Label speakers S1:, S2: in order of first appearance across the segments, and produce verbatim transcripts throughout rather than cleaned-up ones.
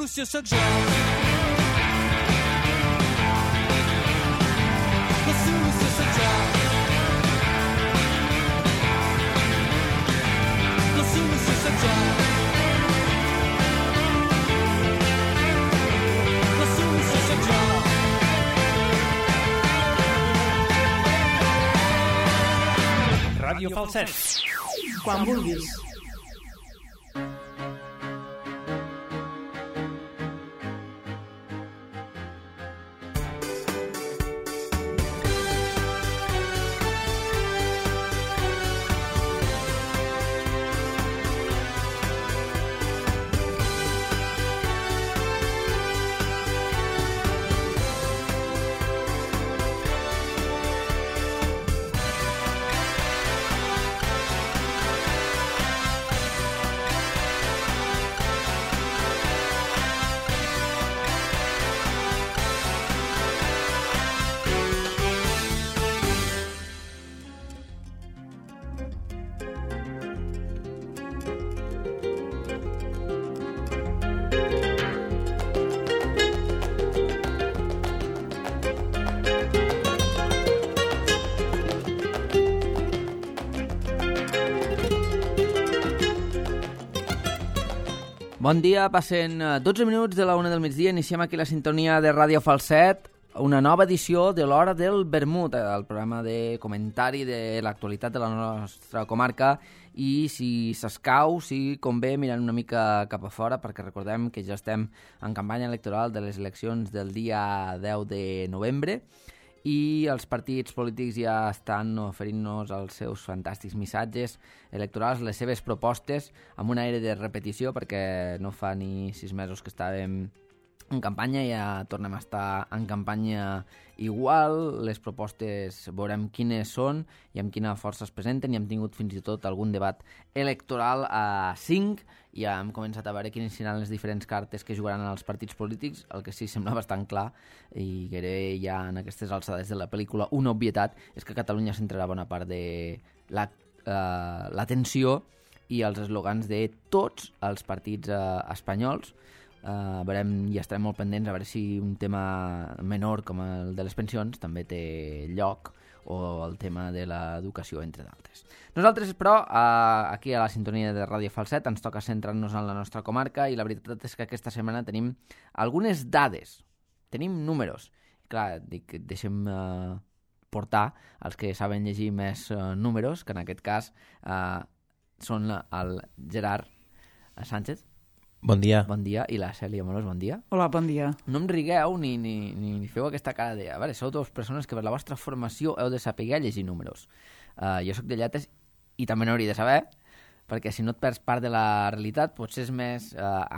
S1: solució sóc jo. La solució sóc jo. La solució sóc jo. La solució sóc jo.
S2: Ràdio Falset.
S3: Quan vulguis.
S4: Bon dia, passen dotze minuts de la una del migdia, iniciem aquí la sintonia de Ràdio Falset, una nova edició de l'Hora del Vermut, el programa de comentari de l'actualitat de la nostra comarca, i si s'escau, si convé, mirant una mica cap a fora, perquè recordem que ja estem en campanya electoral de les eleccions del dia deu de novembre, i els partits polítics ja estan oferint-nos els seus fantàstics missatges electorals, les seves propostes, amb un aire de repetició, perquè no fa ni sis mesos que estàvem en campanya, ja tornem a estar en campanya igual. Les propostes veurem quines són i amb quina força es presenten, i hem tingut fins i tot algun debat electoral a cinc, i ja hem començat a veure quines seran les diferents cartes que jugaran els partits polítics. El que sí sembla bastant clar, i gairebé ja en aquestes alçades de la pel·lícula una obvietat, és que a Catalunya centrarà bona part de la, uh, l'atenció i els eslogans de tots els partits uh, espanyols. Uh, veurem, i estarem molt pendents a veure si un tema menor com el de les pensions també té lloc, o el tema de l'educació, entre d'altres. Nosaltres, però, uh, aquí a la sintonia de Ràdio Falset ens toca centrar-nos en la nostra comarca, i la veritat és que aquesta setmana tenim algunes dades, tenim números. Clar, dic, deixem uh, portar els que saben llegir més uh, números, que en aquest cas uh, són el Gerard Sánchez.
S5: Bon dia.
S4: Bon dia. I la Cèlia Molós, bon dia.
S3: Hola, bon dia.
S4: No em rigueu ni, ni, ni feu aquesta cara de... A veure, sou dues persones que per la vostra formació heu de saber llegir números. Uh, jo sóc de lletres i també n'hauria de saber, perquè si no et perds part de la realitat, potser és més uh,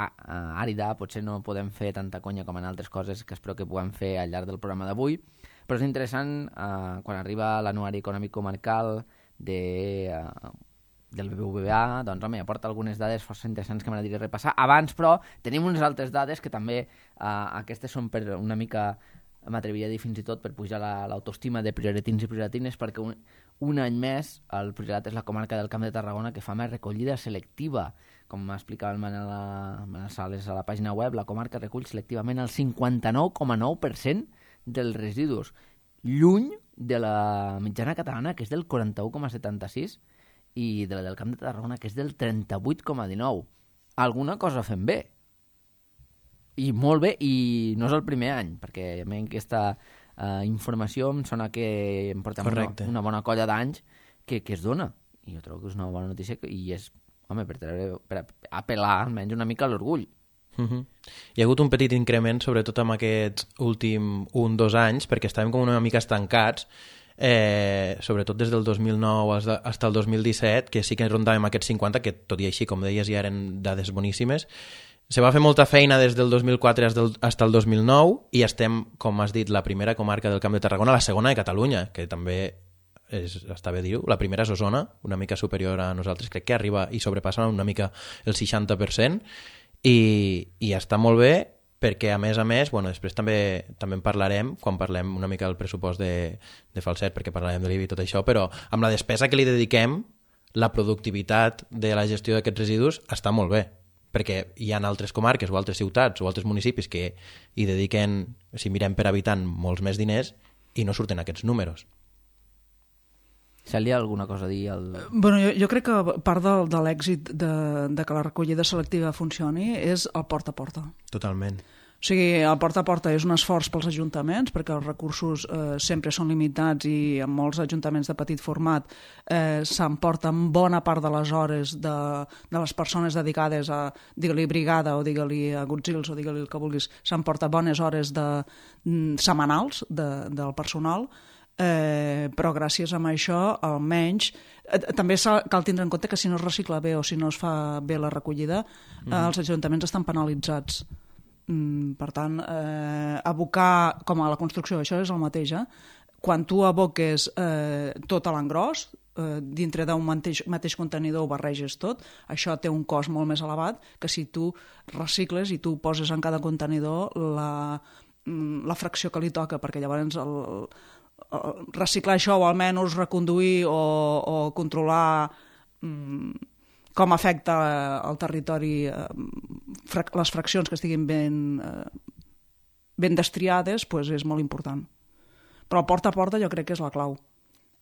S4: àrida, potser no podem fer tanta conya com en altres coses que espero que puguem fer al llarg del programa d'avui, però és interessant uh, quan arriba l'anuari econòmic comarcal de... Uh, del B B V A, doncs home, aporta algunes dades força interessants que m'agradaria repassar. Abans, però, tenim unes altres dades que també, eh, aquestes són per una mica, m'atreviria a dir fins i tot, per pujar la, l'autoestima de prioritins i prioritines, perquè un, un any més el Priorat és la comarca del Camp de Tarragona que fa més recollida selectiva. Com m'explicava el Manel, Manel Sales a la pàgina web, la comarca recull selectivament el cinquanta-nou coma nou per cent dels residus, lluny de la mitjana catalana, que és del quaranta-u coma setanta-sis, i de la del Camp de Tarragona, que és del trenta-vuit coma dinou. Alguna cosa fem bé. I molt bé, i no és el primer any, perquè a mi aquesta uh, informació em sona que em portem una, una bona colla d'anys que, que es dona. I jo trobo que és una bona notícia, que, i és, home, per, treure, per apel·lar almenys una mica a l'orgull.
S5: Uh-huh. Hi ha hagut un petit increment, sobretot en aquests últims un o dos anys, perquè estàvem com una mica estancats, Eh, sobretot des del dos mil nou fins al dos mil disset, que sí que rondàvem aquests cinquanta, que tot i així, com deies, ja eren dades boníssimes. Se va fer molta feina des del dos mil quatre fins al dos mil nou, i estem, com has dit, la primera comarca del Camp de Tarragona, la segona de Catalunya, que també és, està bé dir-ho. La primera és Osona, una mica superior a nosaltres, crec que arriba i sobrepassa una mica el seixanta per cent, i, i està molt bé, perquè a més a més, bueno, després també també en parlarem quan parlem una mica del pressupost de, de Falset, perquè parlarem de l'I V A i tot això, però amb la despesa que li dediquem, la productivitat de la gestió d'aquests residus està molt bé. perquè hi ha altres comarques o altres ciutats o altres municipis que hi dediquen, si mirem per habitant, molts més diners i no surten aquests números.
S4: Celia, alguna cosa a dir? Al...
S3: Bueno, jo, jo crec que part de, de l'èxit de, de que la recollida selectiva funcioni és el porta a porta.
S5: Totalment.
S3: O sigui, el porta a porta és un esforç pels ajuntaments perquè els recursos eh, sempre són limitats i en molts ajuntaments de petit format eh, s'emporten bona part de les hores de, de les persones dedicades a, digue-li brigada o digue-li a Godzills o digue-li el que vulguis, s'emporta bones hores de, mm, setmanals de, del personal, eh, però gràcies a això almenys eh, també cal tindre en compte que si no es recicla bé o si no es fa bé la recollida mm. eh, els ajuntaments estan penalitzats. Mm, per tant, eh, abocar com a la construcció, això és el mateix, eh? Quan tu aboques eh, tot a l'engròs, eh, dintre d'un mateix, mateix contenidor ho barreges tot, això té un cost molt més elevat que si tu recicles i tu poses en cada contenidor la, la fracció que li toca, perquè llavors el, el, reciclar això o almenys reconduir o, o controlar mm, com afecta el territori, les fraccions que estiguin ben, ben destriades, doncs és molt important. Però el porta a porta jo crec que és la clau.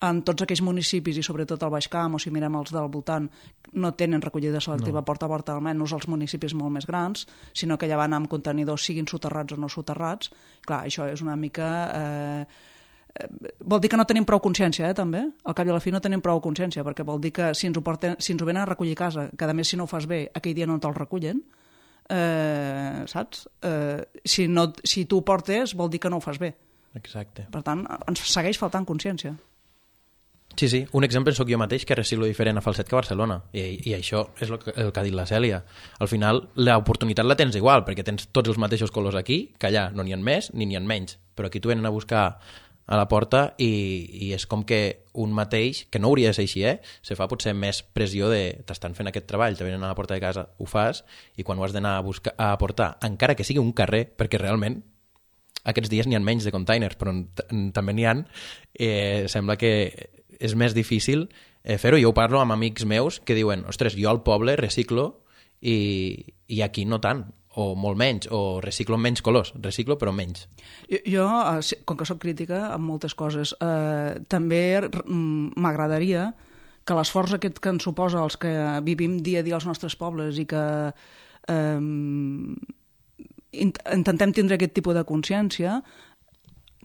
S3: En tots aquells municipis, i sobretot al Baix Camp, o si mirem els del voltant, no tenen recollida selectiva no. porta a porta, almenys els municipis molt més grans, sinó que ja van amb contenidors, siguin soterrats o no soterrats. Clar, això és una mica... Eh, vol dir que no tenim prou consciència, eh, també. Al cap i a la fi no tenim prou consciència, perquè vol dir que si ens ho, porten, si ens ho venen a recollir a casa, que a més si no ho fas bé, aquell dia no te'l recullen, eh, saps? Eh, si, no, si tu ho portes, vol dir que no ho fas bé.
S5: Exacte.
S3: Per tant, ens segueix faltant consciència.
S5: Sí, sí. Un exemple sóc jo mateix, que reciclo diferent a Falset que a Barcelona. I, i això és el que, el que ha dit la Cèlia. Al final, l'oportunitat la tens igual, perquè tens tots els mateixos colors aquí, que allà no n'hi ha més ni n'hi ha menys. Però aquí t'ho venen a buscar a la porta i, i és com que un mateix, que no hauria de ser així, eh? Se fa potser més pressió de t'estan fent aquest treball, te venen a la porta de casa, ho fas, i quan ho has d'anar a, buscar, a aportar, encara que sigui un carrer, perquè realment aquests dies n'hi ha menys de containers, però també n'hi ha, eh, sembla que és més difícil eh, fer-ho. Jo ho parlo amb amics meus que diuen, ostres, jo al poble reciclo i, i aquí no tant, o molt menys, o reciclo menys colors, reciclo però menys.
S3: Jo, jo com que soc crítica amb moltes coses, eh, també m'agradaria que l'esforç aquest que ens suposa els que vivim dia a dia als nostres pobles i que eh, intentem tindre aquest tipus de consciència,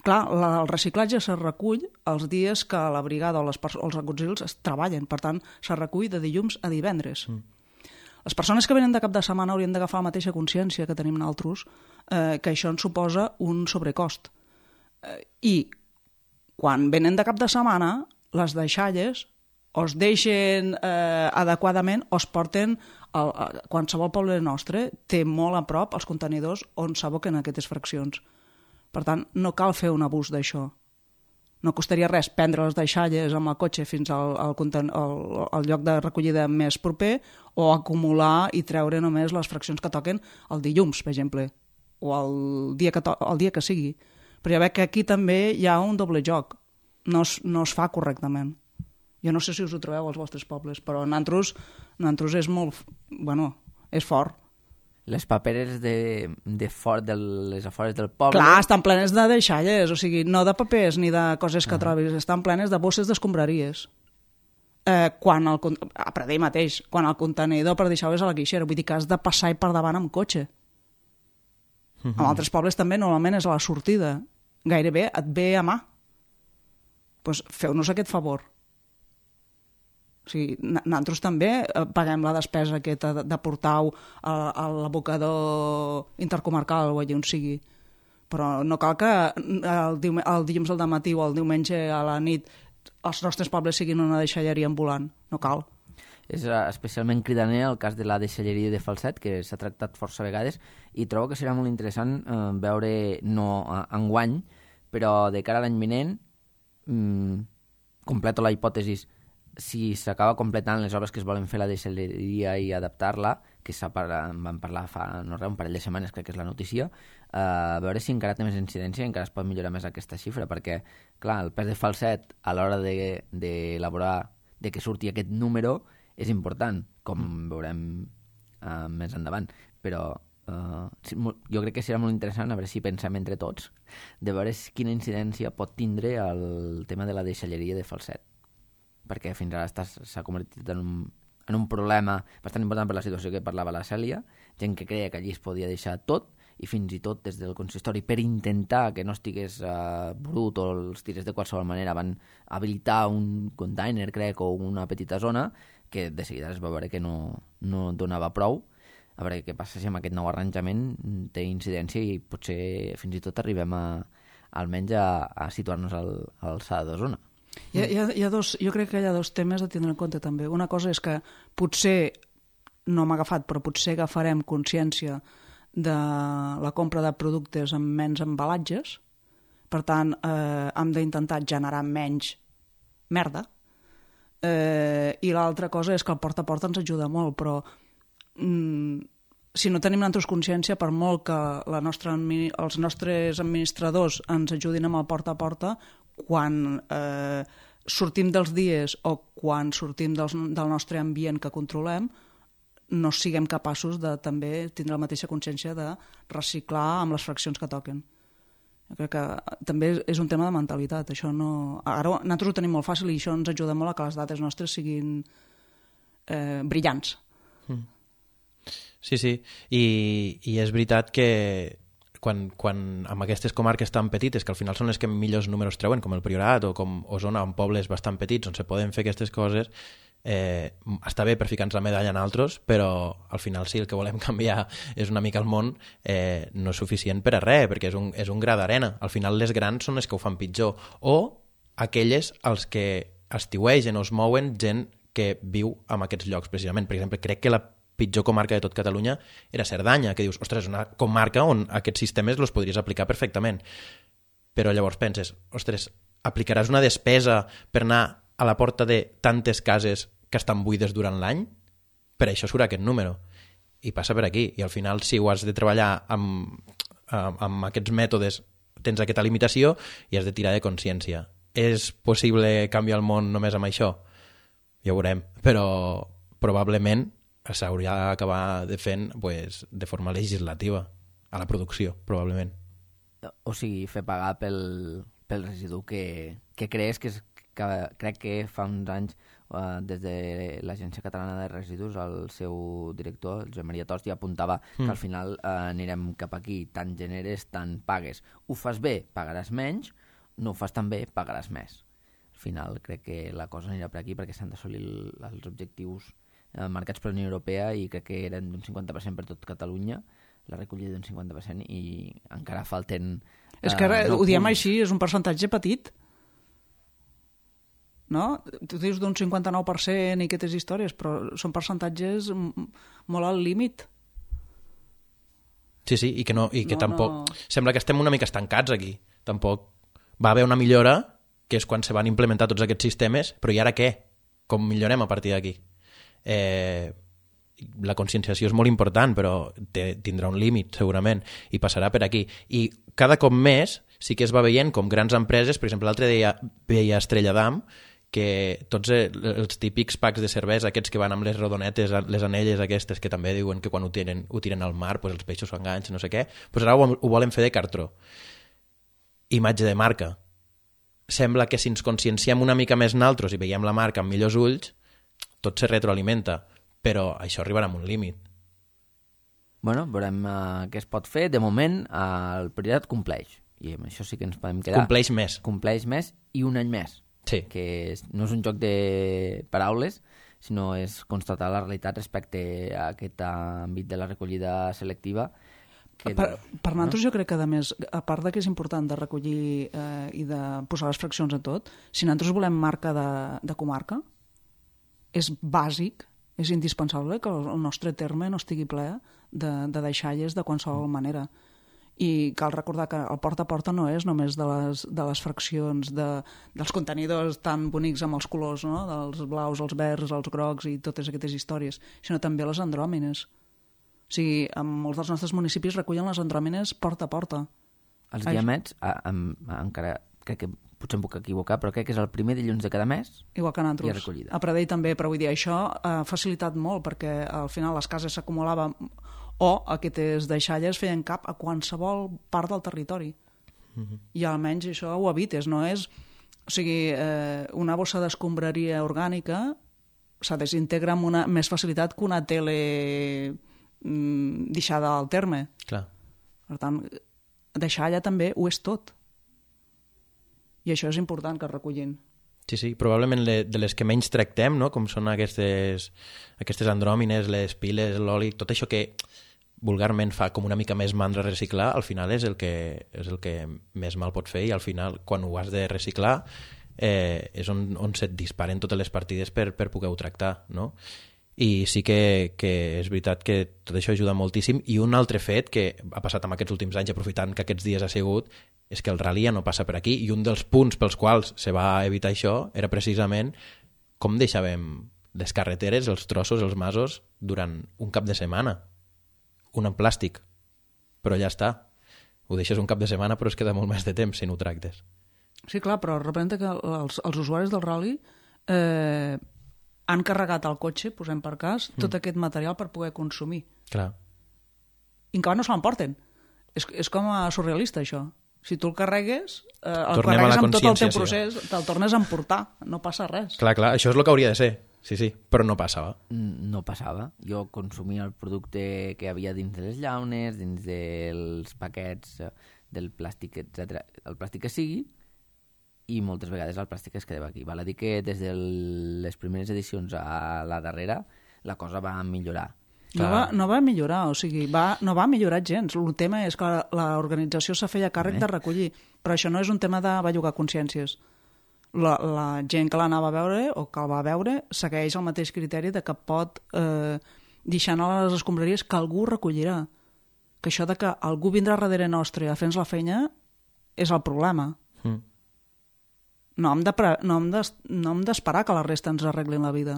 S3: clar, el reciclatge se recull els dies que la brigada o, les, o els Godzills es treballen, per tant, se recull de dilluns a divendres. Mm. Les persones que venen de cap de setmana haurien d'agafar la mateixa consciència que tenim nosaltres, eh, que això ens suposa un sobrecost. Eh, I quan venen de cap de setmana, les deixalles o es deixen eh, adequadament o es porten a, a qualsevol poble nostre té molt a prop els contenidors on s'aboquen aquestes fraccions. Per tant, no cal fer un abús d'això. No costaria res prendre les deixalles amb el cotxe fins al, al, al, al lloc de recollida més proper o acumular i treure només les fraccions que toquen el dilluns, per exemple, o el dia que, to el dia que sigui. Però ja veig que aquí també hi ha un doble joc. No es, no es fa correctament. Jo no sé si us ho trobeu als vostres pobles, però nosaltres, nosaltres és molt... Bueno, és fort.
S4: Les paperes de, de for, de les afores del poble...
S3: Clar, estan plenes de deixalles, o sigui, no de papers ni de coses que uh -huh. trobis, estan plenes de bosses d'escombraries. Eh, quan el, a Pradell mateix, quan el contenidor per deixar-ho és a la guixera, vull dir que has de passar-hi per davant amb cotxe. Uh -huh. En altres pobles també normalment és a la sortida. Gairebé et ve a mà. Doncs feu-nos aquest favor. O sigui, nosaltres també paguem la despesa aquesta de, de portar-ho a, a l'abocador intercomarcal o allà on sigui. Però no cal que el, dium el dilluns al matí o el diumenge a la nit els nostres pobles siguin una deixalleria ambulant. No cal.
S4: És especialment cridaner el cas de la deixalleria de Falset, que s'ha tractat força vegades, i trobo que serà molt interessant eh, veure, no enguany, però de cara a l'any vinent, mmm, completo la hipòtesi, si s'acaba completant les obres que es volen fer a la deixalleria i adaptar-la, que en van parlar fa no res, un parell de setmanes, crec que és la notícia, eh, a veure si encara té més incidència i encara es pot millorar més aquesta xifra, perquè, clar, el pes de Falset a l'hora d'elaborar, de, de que surti aquest número, és important, com veurem uh, més endavant, però uh, jo crec que serà molt interessant a veure si pensem entre tots de veure quina incidència pot tindre el tema de la deixalleria de falset, perquè fins ara s'ha convertit en un, en un problema bastant important per la situació que parlava la Cèlia, gent que creia que allí es podia deixar tot, i fins i tot des del consistori, per intentar que no estigués uh, brut o els tirés de qualsevol manera, van habilitar un container, crec, o una petita zona, que de seguida es va veure que no, no donava prou. A veure què passa si amb aquest nou arranjament té incidència i potser fins i tot arribem a, almenys a, a situar-nos al, a l'alçada de zona.
S3: Hi ha, hi ha, hi ha dos, jo crec que hi ha dos temes a tindre en compte també. Una cosa és que potser, no m'ha agafat, però potser agafarem consciència de la compra de productes amb menys embalatges, per tant eh, hem d'intentar generar menys merda, eh, i l'altra cosa és que el porta a porta ens ajuda molt, però mm, si no tenim nosaltres consciència, per molt que la nostra, els nostres administradors ens ajudin amb el porta a porta, quan eh, sortim dels dies o quan sortim dels, del nostre ambient que controlem, no siguem capaços de també tindre la mateixa consciència de reciclar amb les fraccions que toquen. Jo crec que també és un tema de mentalitat. Això no... Ara nosaltres ho tenim molt fàcil i això ens ajuda molt a que les dades nostres siguin eh, brillants.
S5: Mm. Sí, sí. I, i és veritat que quan, quan amb aquestes comarques tan petites, que al final són les que millors números treuen, com el Priorat o com Osona, en pobles bastant petits on se poden fer aquestes coses, eh, està bé per ficar-nos la medalla en altres, però al final si el que volem canviar és una mica el món, eh, no és suficient per a res, perquè és un, és un gra d'arena. Al final les grans són les que ho fan pitjor, o aquelles als que estiuegen o es mouen gent que viu en aquests llocs precisament. Per exemple, crec que la pitjor comarca de tot Catalunya era Cerdanya, que dius, ostres, és una comarca on aquests sistemes els podries aplicar perfectament. Però llavors penses, ostres, aplicaràs una despesa per anar a la porta de tantes cases que estan buides durant l'any? Per això surt aquest número. I passa per aquí. I al final, si ho has de treballar amb, amb, amb aquests mètodes, tens aquesta limitació i has de tirar de consciència. És possible canviar el món només amb això? Ja ho veurem. Però probablement s'hauria d'acabar de fent pues, de forma legislativa a la producció, probablement.
S4: O sigui, fer pagar pel, pel residu que, que crees que, és, que crec que fa uns anys uh, des de l'Agència Catalana de Residus el seu director, el Josep Maria Tost, ja apuntava mm. que al final uh, anirem cap aquí, tant generes, tant pagues. Ho fas bé, pagaràs menys, no ho fas tan bé, pagaràs més. Al final crec que la cosa anirà per aquí perquè s'han d'assolir els objectius marcats per la Unió Europea i crec que eren d'un cinquanta per cent per tot Catalunya, la recollida d'un cinquanta per cent i encara falten...
S3: És que ara, uh, no ho diem punts. Així, és un percentatge petit. No? Tu dius d'un cinquanta-nou per cent i aquestes històries, però són percentatges molt al límit.
S5: Sí, sí, i que, no, i que
S3: no,
S5: tampoc...
S3: No.
S5: Sembla que estem una mica estancats aquí. Tampoc va haver una millora, que és quan se van implementar tots aquests sistemes, però i ara què? Com millorem a partir d'aquí? Eh, la conscienciació és molt important, però te, tindrà un límit segurament i passarà per aquí, i cada cop més sí que es va veient com grans empreses, per exemple l'altre dia veia Estrella d'Am, que tots els típics packs de cervesa, aquests que van amb les rodonetes, les anelles aquestes, que també diuen que quan ho tiren, ho tiren al mar pues els peixos s'enganxen, no sé què, pues ara ho, ho volen fer de cartró. Imatge de marca. Sembla que si ens conscienciem una mica més naltros i veiem la marca amb millors ulls, tot se retroalimenta, però això arribarà a un límit.
S4: Bueno, veurem uh, què es pot fer. De moment, uh, el Priorat compleix, i amb això sí que ens podem quedar.
S5: Compleix més.
S4: Compleix més i un any més.
S5: Sí.
S4: Que és, no és un joc de paraules, sinó és constatar la realitat respecte a aquest àmbit de la recollida selectiva.
S3: Que, per per no? nosaltres jo crec que, a més, a part de que és important de recollir eh, i de posar les fraccions en tot, si nosaltres volem marca de, de comarca, és bàsic, és indispensable que el nostre terme no estigui ple de, de deixalles de qualsevol manera. I cal recordar que el porta a porta no és només de les, de les fraccions de, dels contenidors tan bonics amb els colors, no? Dels blaus, els verds, els grocs i totes aquestes històries, sinó també les andròmines. O sigui, en molts dels nostres municipis recullen les andròmines porta a porta.
S4: Els diamets, a, a, a, encara crec que potser em puc equivocar, però crec que és el primer dilluns de cada mes.
S3: Igual que
S4: Hi ha
S3: nosaltres.
S4: recollida.
S3: A Pradell també, però vull dir, això ha facilitat molt perquè al final les cases s'acumulaven o aquestes deixalles feien cap a qualsevol part del territori. Mm-hmm. I almenys això ho evites, no és... O sigui, eh, una bossa d'escombraria orgànica se desintegra amb una més facilitat que una tele mm, deixada al terme.
S5: Clar.
S3: Per tant, deixalla també ho és tot. I això és important que es recullin.
S5: Sí, sí, probablement le, de les que menys tractem, no? Com són aquestes, aquestes andròmines, les piles, l'oli, tot això que vulgarment fa com una mica més mandra reciclar, al final és el que, és el que més mal pot fer i al final, quan ho has de reciclar, eh, és on, on se't disparen totes les partides per, per poder-ho tractar, no? I sí que, que és veritat que tot això ajuda moltíssim. I un altre fet que ha passat en aquests últims anys, aprofitant que aquests dies ha sigut, és que el rally ja no passa per aquí, i un dels punts pels quals se va evitar això era precisament com deixàvem les carreteres, els trossos, els masos, durant un cap de setmana. Un en plàstic. Però ja està. Ho deixes un cap de setmana, però es queda molt més de temps si no ho tractes.
S3: Sí, clar, però representa que els, els usuaris del rally eh, han carregat al cotxe, posem per cas, tot mm. aquest material per poder consumir.
S5: Clar.
S3: I encara no se l'emporten. És, és com a surrealista, això. Si tu el carregues, eh, el
S5: Tornem a la
S3: carregues amb tot el teu
S5: consciència,
S3: procés,
S5: sí.
S3: te'l tornes a emportar, no passa res.
S5: Clar, clar, això és el que hauria de ser. Sí, sí, però no passava.
S4: No passava. Jo consumia el producte que havia dins de les llaunes, dins dels paquets, del plàstic, etcètera. El plàstic que sigui, i moltes vegades el plàstic es quedava aquí. Val a dir que des de les primeres edicions a la darrera la cosa va millorar.
S3: No va, no va millorar, o sigui, va, no va millorar gens. El tema és que l'organització se feia càrrec de recollir, però això no és un tema de bellugar consciències. La, la gent que l'anava a veure o que el va veure segueix el mateix criteri de que pot eh, deixar a les escombraries que algú recollirà. Que això de que algú vindrà darrere nostre a fer-nos la feina és el problema. Mm. No hem de, no hem de, no hem d'esperar que la resta ens arreglin la vida.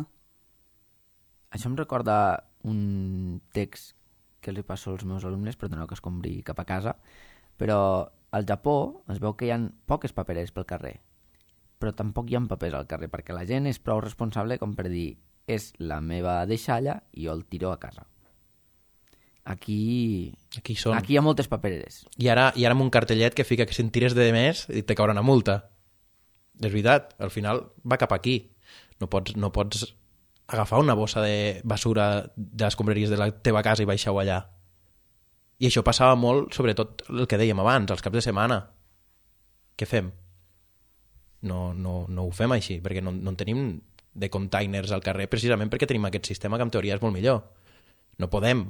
S4: Això em recorda un text que els passo als meus alumnes, perdoneu que escombri cap a casa, però al Japó es veu que hi ha poques papereres pel carrer, però tampoc hi ha papers al carrer, perquè la gent és prou responsable com per dir és la meva deixalla i jo el tiro a casa. Aquí,
S5: aquí, són.
S4: aquí hi ha moltes papereres.
S5: I ara, i ara amb un cartellet que fica que si en tires de més te caurà una multa. És veritat, al final va cap aquí. No pots, no pots agafar una bossa de basura de les escombraries de la teva casa i baixar-ho allà. I això passava molt, sobretot el que dèiem abans, els caps de setmana. Què fem? No, no, no ho fem així, perquè no, no en tenim de containers al carrer, precisament perquè tenim aquest sistema que en teoria és molt millor. No podem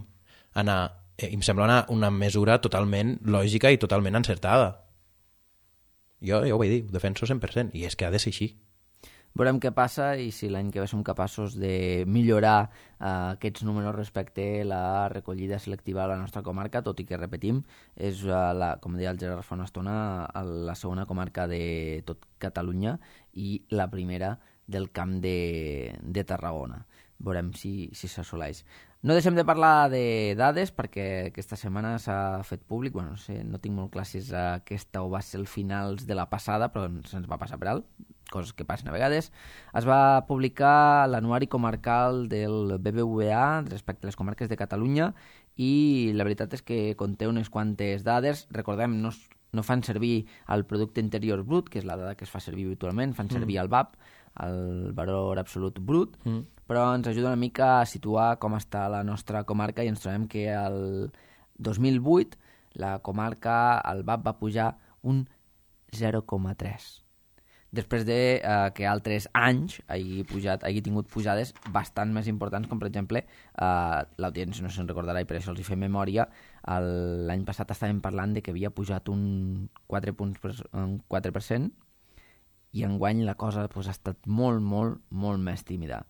S5: anar... Eh, em sembla una, una mesura totalment lògica i totalment encertada. Jo, jo ho vaig dir, ho defenso cent per cent, i és que ha de ser així.
S4: Veurem què passa i si l'any que ve som capaços de millorar eh, aquests números respecte a la recollida selectiva a la nostra comarca, tot i que, repetim, és, uh, la, com deia el Gerard fa una estona, la segona comarca de tot Catalunya i la primera del Camp de, de Tarragona. Veurem si, si s'assoleix. No deixem de parlar de dades perquè aquesta setmana s'ha fet públic, bueno, no sé, no tinc molt clar si és aquesta o va ser el finals de la passada, però se'ns va passar per alt, coses que passen a vegades. Es va publicar l'anuari comarcal del B B V A respecte a les comarques de Catalunya i la veritat és que conté unes quantes dades. Recordem, no, no fan servir el producte interior brut, que és la dada que es fa servir habitualment, fan servir mm. el V A P, el valor absolut brut, mm. però ens ajuda una mica a situar com està la nostra comarca i ens trobem que el dos mil vuit la comarca, el V A P va pujar un zero coma tres. Després de eh, que altres anys hagi, pujat, hagi tingut pujades bastant més importants, com per exemple, eh, l'audiència no se'n recordarà i per això els hi fem memòria, l'any passat estàvem parlant de que havia pujat un quatre punts per, un quatre per cent i enguany la cosa pues, ha estat molt, molt, molt més tímida.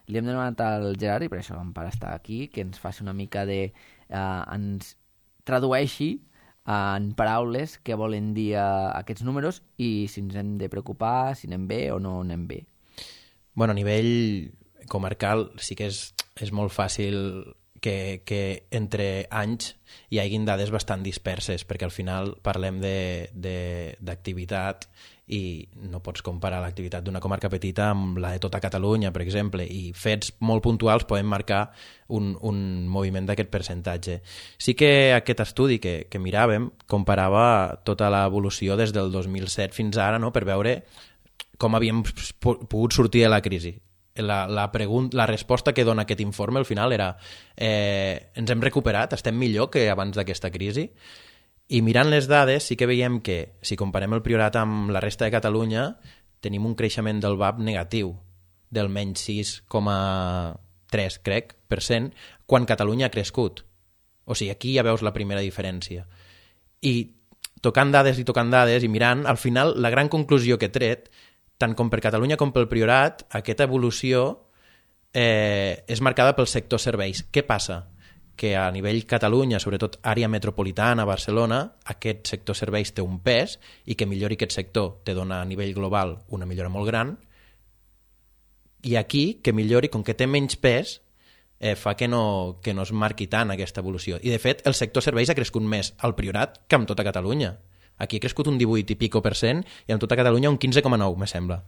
S4: Li hem demanat al Gerard, i per això per estar aquí, que ens faci una mica de... Eh, ens tradueixi en paraules què volen dir aquests números i si ens hem de preocupar, si anem bé o no anem bé.
S5: Bueno, a nivell comarcal sí que és, és molt fàcil que, que entre anys hi hagin dades bastant disperses, perquè al final parlem d'activitat i no pots comparar l'activitat d'una comarca petita amb la de tota Catalunya, per exemple, i fets molt puntuals poden marcar un, un moviment d'aquest percentatge. Sí que aquest estudi que, que miràvem comparava tota l'evolució des del dos mil set fins ara, no?, per veure com havíem pogut sortir de la crisi. La, la, pregunta, la resposta que dona aquest informe al final era eh, ens hem recuperat, estem millor que abans d'aquesta crisi, i mirant les dades sí que veiem que si comparem el Priorat amb la resta de Catalunya tenim un creixement del V A P negatiu del menys sis coma tres, crec, per cent, quan Catalunya ha crescut. O sigui, aquí ja veus la primera diferència. I tocant dades i tocant dades i mirant, al final la gran conclusió que he tret, tant com per Catalunya com pel Priorat, aquesta evolució eh, és marcada pel sector serveis. Què passa? Que a nivell Catalunya, sobretot àrea metropolitana, Barcelona, aquest sector serveis té un pes i que millori aquest sector te dona a nivell global una millora molt gran, i aquí, que millori, com que té menys pes, eh, fa que no, que no es marqui tant aquesta evolució. I de fet, el sector serveis ha crescut més al Priorat que amb tota Catalunya. Aquí ha crescut un divuit i pico per cent i en tota Catalunya un quinze coma nou, me sembla.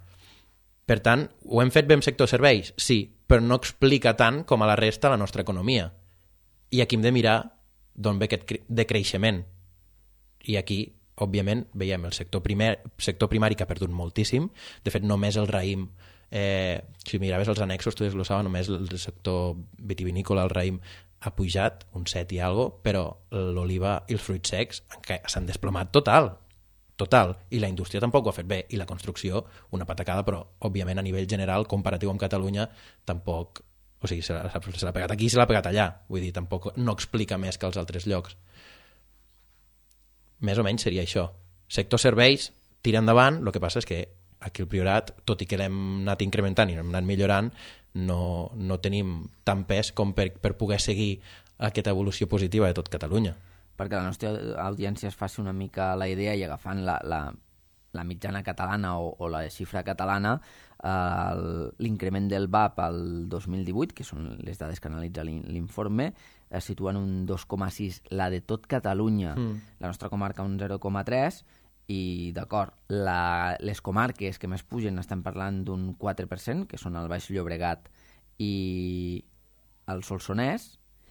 S5: Per tant, ho hem fet bé amb sector serveis? Sí, però no explica tant com a la resta la nostra economia. I aquí hem de mirar d'on ve aquest decreixement. I aquí, òbviament, veiem el sector, primer, sector primari que ha perdut moltíssim. De fet, només el raïm, eh, si miraves els annexos, tu desglossava només el sector vitivinícola, el raïm, ha pujat un set i algo, però l'oliva i els fruits secs s'han desplomat total, total, i la indústria tampoc ho ha fet bé, i la construcció una patacada, però òbviament a nivell general, comparatiu amb Catalunya, tampoc, o sigui, se l'ha, se l'ha pegat aquí i se l'ha pegat allà, vull dir, tampoc no explica més que als altres llocs. Més o menys seria això. Sector serveis, tira endavant, el que passa és que aquí el Priorat, tot i que l'hem anat incrementant i l'hem anat millorant, no, no tenim tant pes com per, per poder seguir aquesta evolució positiva de tot Catalunya.
S4: Perquè la nostra audiència es faci una mica la idea i agafant la, la, la mitjana catalana o, o la xifra catalana, eh, l'increment del V A P al dos mil divuit, que són les dades que analitza l'informe, es situa en un dos coma sis, la de tot Catalunya, mm. la nostra comarca un zero coma tres, i d'acord, les comarques que més pugen estan parlant d'un quatre per cent, que són el Baix Llobregat i el Solsonès,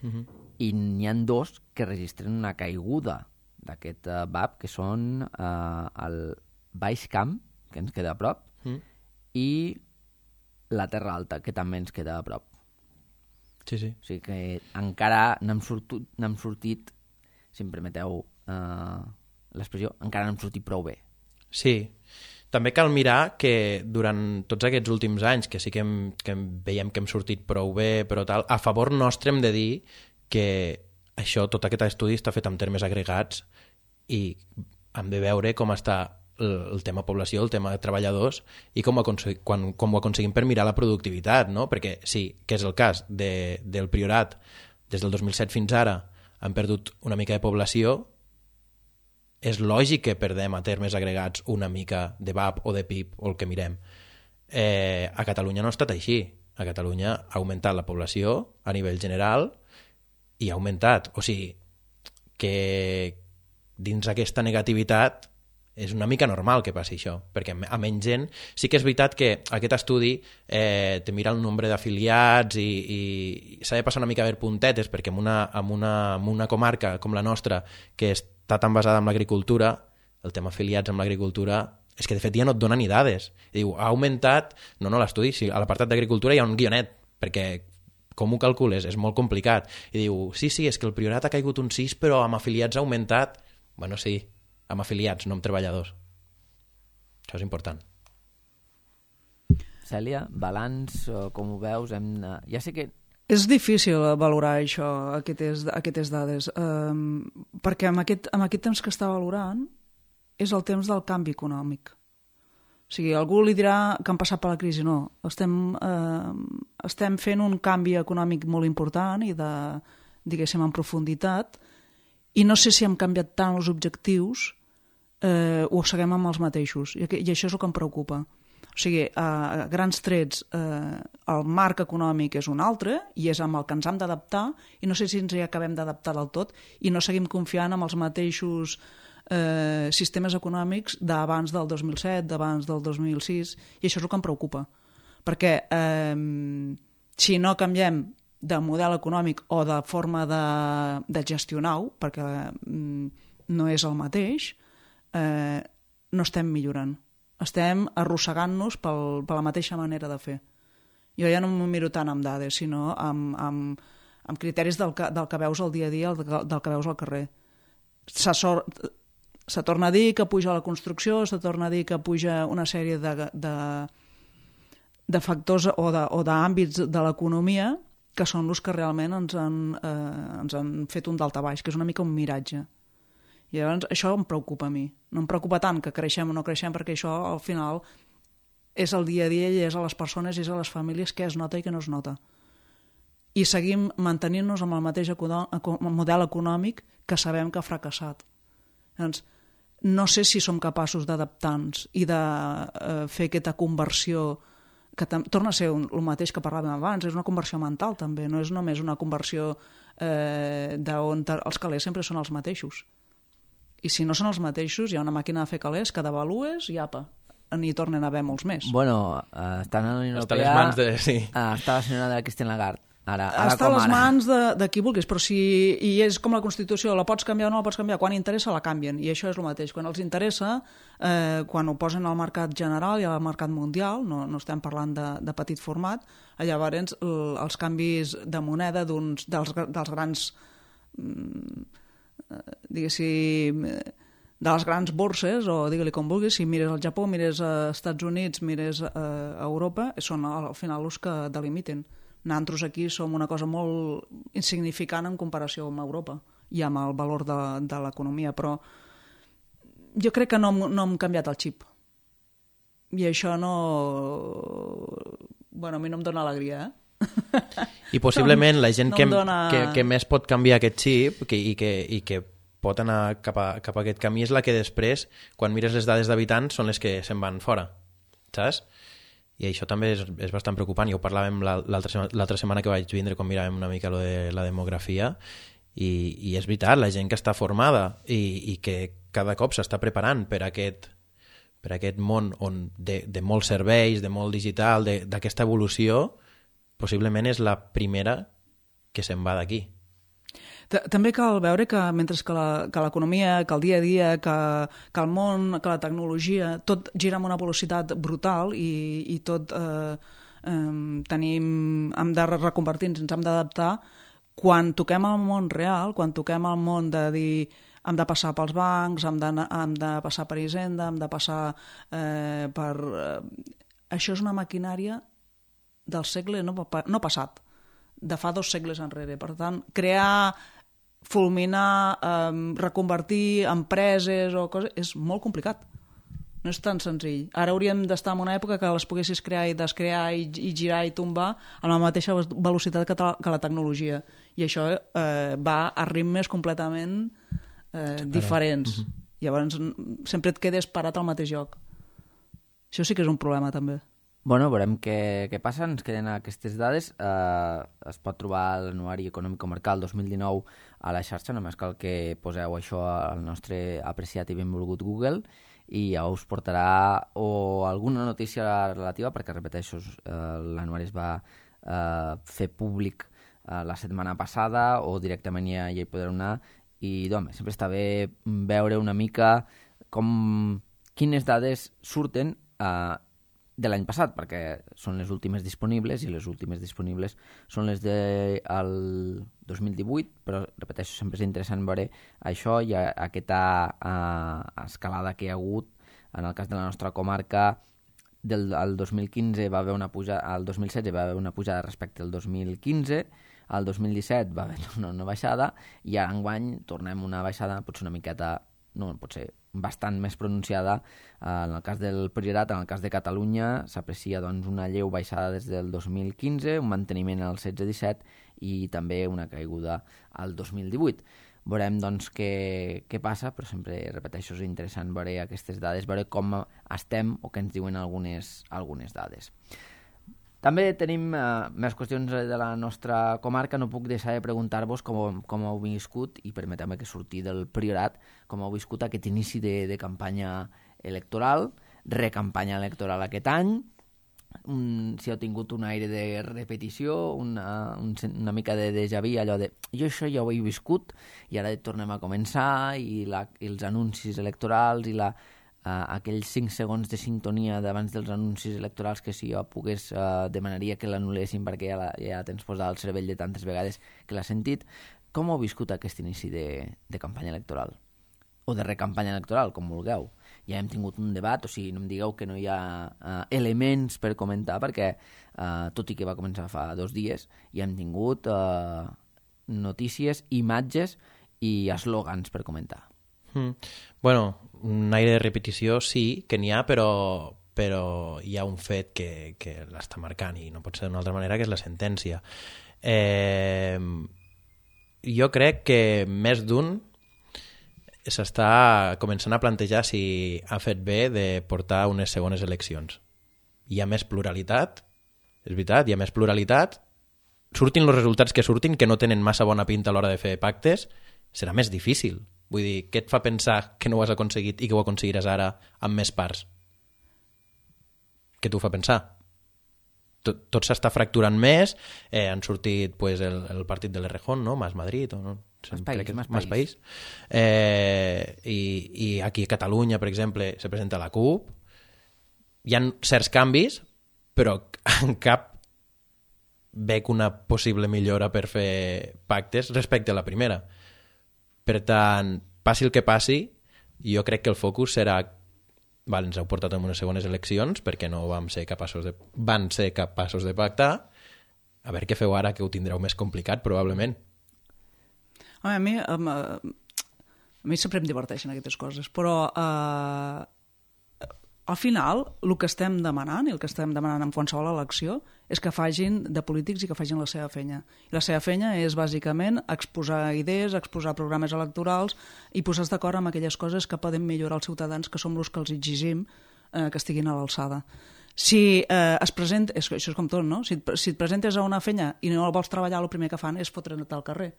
S4: uh-huh. i n'hi ha dos que registren una caiguda d'aquest uh, V A P, que són uh, el Baix Camp, que ens queda a prop, uh-huh. i la Terra Alta, que també ens queda a prop.
S5: Sí, sí.
S4: O sigui que encara n'hem sortit, n'hem sortit, si em permeteu uh, l'expressió, encara n'hem sortit prou bé.
S5: Sí. També cal mirar que durant tots aquests últims anys, que sí que, hem, que veiem que hem sortit prou bé, però tal, a favor nostre hem de dir que això, tot aquest estudi està fet en termes agregats i hem de veure com està el, el tema població, el tema de treballadors i com ho, aconsegui, quan, com ho aconseguim per mirar la productivitat, no? Perquè sí, que és el cas de, del Priorat, des del dos mil set fins ara han perdut una mica de població, és lògic que perdem a termes agregats una mica de V A P o de P I B o el que mirem. Eh, a Catalunya no ha estat així. A Catalunya ha augmentat la població a nivell general i ha augmentat. O sigui, que dins aquesta negativitat és una mica normal que passi això, perquè a menys gent... Sí que és veritat que aquest estudi eh, te mira el nombre d'afiliats i, i, i s'ha de passar una mica a veure puntetes, perquè en una, en, una, en una comarca com la nostra, que està tan basada en l'agricultura, el tema afiliats amb l'agricultura, és que de fet ja no et dona ni dades. I diu, ha augmentat... No, no, l'estudi, sí, a l'apartat d'agricultura hi ha un guionet, perquè com ho calcules? És molt complicat. I diu, sí, sí, és que el Priorat ha caigut un sis, però amb afiliats ha augmentat... Bueno, sí, amb afiliats, no amb treballadors. Això és important.
S4: Cèlia, balanç, com ho veus? Hem... Ja sé que...
S3: És difícil valorar això, aquestes, aquestes dades, um, perquè amb aquest, amb aquest temps que està valorant és el temps del canvi econòmic. O sigui, algú li dirà que han passat per la crisi. No, estem, eh, estem fent un canvi econòmic molt important i de, diguéssim, en profunditat, i no sé si hem canviat tant els objectius eh, o seguim amb els mateixos, i, i això és el que em preocupa. O O sigui, a grans trets, eh, el marc econòmic és un altre i és amb el que ens hem d'adaptar i no sé si ens hi acabem d'adaptar del tot i no seguim confiant en els mateixos eh, sistemes econòmics d'abans del dos mil set, d'abans del dos mil sis, i això és el que em preocupa. Perquè eh, si no canviem de model econòmic o de forma de, de gestionar-ho, perquè mm, no és el mateix, eh, no estem millorant. Estem arrossegant-nos pel, per la mateixa manera de fer. Jo ja no m'ho miro tant amb dades, sinó amb, amb, amb criteris del que, del que veus al dia a dia, del, del que veus al carrer. Se, sor, se torna a dir que puja la construcció, se torna a dir que puja una sèrie de, de, de factors o d'àmbits de, de l'economia que són els que realment ens han, eh, ens han fet un daltabaix, que és una mica un miratge. I llavors això em preocupa a mi. No em preocupa tant que creixem o no creixem, perquè això al final és el dia a dia i és a les persones i és a les famílies què es nota i què no es nota. I seguim mantenint-nos amb el mateix model econòmic que sabem que ha fracassat. Llavors, no sé si som capaços d'adaptar-nos i de eh, fer aquesta conversió que torna a ser un, el mateix que parlàvem abans, és una conversió mental també, no és només una conversió eh, d'on els calés sempre són els mateixos. I si no són els mateixos, hi ha una màquina de fer calés que devalues i apa, n'hi tornen a haver molts més.
S4: Bueno, uh, estan a la Unió
S5: Està
S4: Europea...
S5: a les mans de... Sí.
S4: Uh, està la senyora de Christine Lagarde. Ara, ara
S3: està a les
S4: ara.
S3: mans de, de qui vulguis, però si i és com la Constitució, la pots canviar o no la pots canviar, quan interessa la canvien, i això és el mateix. Quan els interessa, eh, quan ho posen al mercat general i al mercat mundial, no, no estem parlant de, de petit format, llavors el, els canvis de moneda d'uns dels, dels grans... Mm, diguéssim, de les grans borses, o digue-li com vulguis, si mires al Japó, mires als Estats Units, mires a Europa, són al final els que delimiten. Nosaltres aquí som una cosa molt insignificant en comparació amb Europa i amb el valor de, de l'economia, però jo crec que no, no hem canviat el xip. I això no... Bueno, a mi no em dóna alegria, eh?
S5: I possiblement la gent
S3: no
S5: que,
S3: dona...
S5: que, que més pot canviar aquest xip que, i, que, i que pot anar cap a, cap a aquest camí és la que després, quan mires les dades d'habitants, són les que se'n van fora, saps? I això també és, és bastant preocupant. Jo ho parlàvem l'altra setmana que vaig vindre quan miràvem una mica lo de la demografia i, i és veritat, la gent que està formada i, i que cada cop s'està preparant per aquest, per aquest món on de, de molts serveis, de molt digital, d'aquesta evolució, possiblement és la primera que se'n va d'aquí.
S3: També cal veure que mentre que l'economia, que el dia a dia, que, que el món, que la tecnologia, tot gira amb una velocitat brutal i, i tot eh, eh, tenim, hem de reconvertir-nos, ens hem d'adaptar. Quan toquem el món real, quan toquem el món de dir hem de passar pels bancs, hem de, hem de passar per Hisenda, hem de passar eh, per... Eh, això és una maquinària del segle no, no passat, de fa dos segles enrere. Per tant, crear, fulminar, eh, reconvertir empreses o coses, és molt complicat. No és tan senzill. Ara hauríem d'estar en una època que les poguessis crear i descrear i, i girar i tombar a la mateixa velocitat que, que la tecnologia. I això eh, va a ritmes completament eh, diferents. Uh -huh. Llavors sempre et quedes parat al mateix lloc. Això sí que és un problema també.
S4: Bueno, veurem què, què passa, ens queden aquestes dades. Eh, es pot trobar l'anuari econòmic comarcal dos mil dinou a la xarxa, només cal que poseu això al nostre apreciat i benvolgut Google i ja us portarà o alguna notícia relativa, perquè repeteixo, eh, l'anuari es va eh, fer públic eh, la setmana passada o directament ja, ja hi podreu anar i doncs, sempre està bé veure una mica com quines dades surten eh, de l'any passat, perquè són les últimes disponibles i les últimes disponibles són les del de dos mil divuit, però repeteixo, sempre és interessant veure això i aquesta uh, escalada que hi ha hagut. En el cas de la nostra comarca, del el dos mil quinze va haver una pujada, al dos mil setze va haver una pujada respecte al dos mil quinze, al dos mil disset va haver una, una baixada i ara enguany tornem una baixada potser una miqueta, no, potser bastant més pronunciada. En el cas del Priorat, en el cas de Catalunya, s'aprecia doncs, una lleu baixada des del dos mil quinze, un manteniment al setze disset i també una caiguda al dos mil divuit. veurem doncs, què, què passa, però sempre, repeteixo, és interessant veure aquestes dades, veure com estem o què ens diuen algunes, algunes dades. També tenim eh, més qüestions de la nostra comarca. No puc deixar de preguntar-vos com, com heu viscut, i permeteu-me que surti del Priorat, com heu viscut aquest inici de, de campanya electoral, recampanya electoral aquest any, un, si heu tingut un aire de repetició, una, un, una mica de déjà vu, allò de jo això ja ho he viscut i ara tornem a començar, i, la, i els anuncis electorals i la, uh, aquells cinc segons de sintonia d'abans dels anuncis electorals que si jo pogués uh, demanaria que l'anul·lessin perquè ja, la, ja tens posat al cervell de tantes vegades que l'has sentit. Com heu viscut aquest inici de, de campanya electoral? O de recampanya electoral, com vulgueu. Ja hem tingut un debat, o sigui, no em digueu que no hi ha uh, elements per comentar, perquè uh, tot i que va començar fa dos dies, ja hem tingut uh, notícies, imatges i eslògans per comentar.
S5: Mm. Bueno, un aire de repetició sí que n'hi ha, però, però hi ha un fet que, que l'està marcant i no pot ser d'una altra manera, que és la sentència. Eh, jo crec que més d'un s'està començant a plantejar si ha fet bé de portar unes segones eleccions. Hi ha més pluralitat, és veritat, hi ha més pluralitat, surtin els resultats que surtin, que no tenen massa bona pinta a l'hora de fer pactes, serà més difícil. Vull dir, què et fa pensar que no ho has aconseguit i que ho aconseguiràs ara amb més parts? Què t'ho fa pensar? Tot, tot s'està fracturant més, eh, han sortit pues, el, el partit de l'Errejón, no? Mas Madrid, o no?
S4: Mas País, que Mas
S5: Mas País. Eh, i, I aquí a Catalunya, per exemple, se presenta la CUP. Hi ha certs canvis, però en cap veig una possible millora per fer pactes respecte a la primera. Per tant, passi el que passi, jo crec que el focus serà val, ens heu portat en unes segones eleccions perquè no vam ser capaços de, van ser capaços de pactar. A veure què feu ara, que ho tindreu més complicat, probablement.
S3: A mi, a mi, a mi sempre em diverteixen aquestes coses, però eh, al final el que estem demanant i el que estem demanant en qualsevol elecció és que facin de polítics i que facin la seva feina. I la seva feina és bàsicament exposar idees, exposar programes electorals i posar-se d'acord amb aquelles coses que poden millorar els ciutadans, que som els que els exigim eh, que estiguin a l'alçada. Si eh, es presenta, és, això és com tot, no? Si, si et presentes a una feina i no vols treballar, el primer que fan és fotre't al carrer.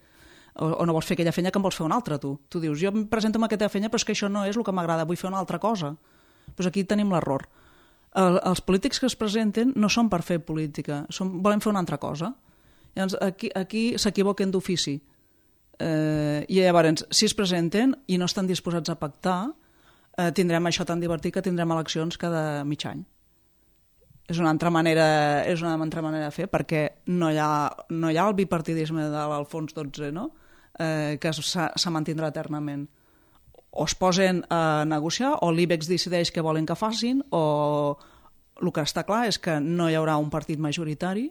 S3: O, o no vols fer aquella feina que en vols fer una altra, tu. Tu dius, jo em presento amb aquesta feina, però és que això no és el que m'agrada, vull fer una altra cosa. Doncs aquí tenim l'error. El, els polítics que es presenten no són per fer política, són, volen fer una altra cosa. Llavors, aquí, aquí s'equivoquen d'ofici. Eh, I llavors, si es presenten i no estan disposats a pactar, eh, tindrem això tan divertit que tindrem eleccions cada mig any. És una altra manera, és una altra manera de fer, perquè no hi ha, no hi ha el bipartidisme de l'Alfons dotze, no? eh, que se mantindrà eternament. O es posen a negociar, o l'IBEX decideix què volen que facin, o el que està clar és que no hi haurà un partit majoritari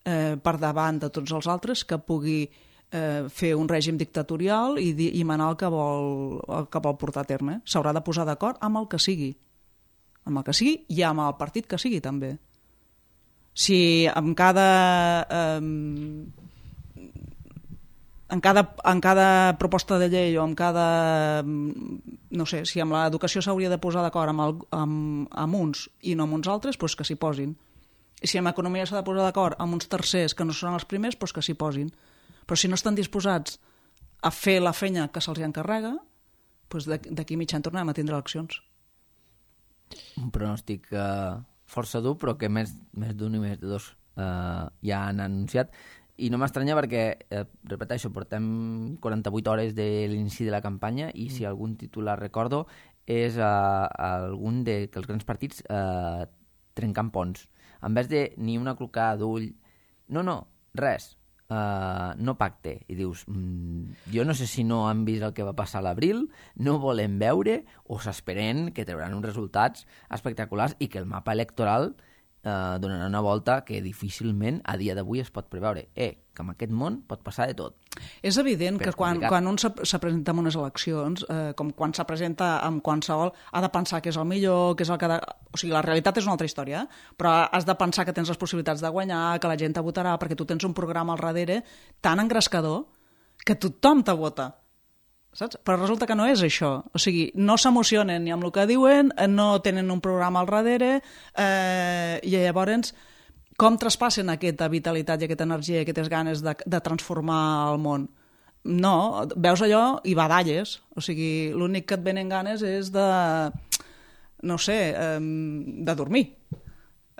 S3: eh, per davant de tots els altres que pugui eh, fer un règim dictatorial i, i manar el que, vol, el que vol portar a terme. S'haurà de posar d'acord amb el que sigui. Amb el que sigui i amb el partit que sigui, també. Si amb cada... Eh, En cada, en cada proposta de llei o en cada... No sé, si amb l'educació s'hauria de posar d'acord amb, el, amb, amb uns i no amb uns altres, doncs que s'hi posin. I si amb economia s'ha de posar d'acord amb uns tercers que no són els primers, doncs que s'hi posin. Però si no estan disposats a fer la feina que se'ls encarrega, doncs d'aquí mig any tornem a tindre eleccions.
S4: Un pronòstic eh, força dur, però que més, més d'un i més de dos eh, ja han anunciat. I no m'estranya perquè, eh, repeteixo, portem quaranta-vuit hores de l'inici de la campanya i si algun titular recordo és eh, algun de que els grans partits eh, trencant ponts. En vez de ni una clocada d'ull, no, no, res, eh, no pacte. I dius, mm, jo no sé si no han vist el que va passar a l'abril, no volen veure o s'esperen que trauran uns resultats espectaculars i que el mapa electoral Uh, donarà una volta que difícilment a dia d'avui es pot preveure. Eh, que en aquest món pot passar de tot.
S3: És evident Però que quan, quan un se presenta en unes eleccions, eh, com quan se presenta amb qualsevol, ha de pensar que és el millor, que és el que... De... O sigui, la realitat és una altra història, però has de pensar que tens les possibilitats de guanyar, que la gent te votarà, perquè tu tens un programa al darrere tan engrescador que tothom te vota. saps? Però resulta que no és això. O sigui, no s'emocionen ni amb el que diuen, no tenen un programa al darrere, eh, i llavors com traspassen aquesta vitalitat i aquesta energia i aquestes ganes de, de transformar el món? No, veus allò i badalles. O sigui, l'únic que et venen ganes és de, no sé, eh, de dormir.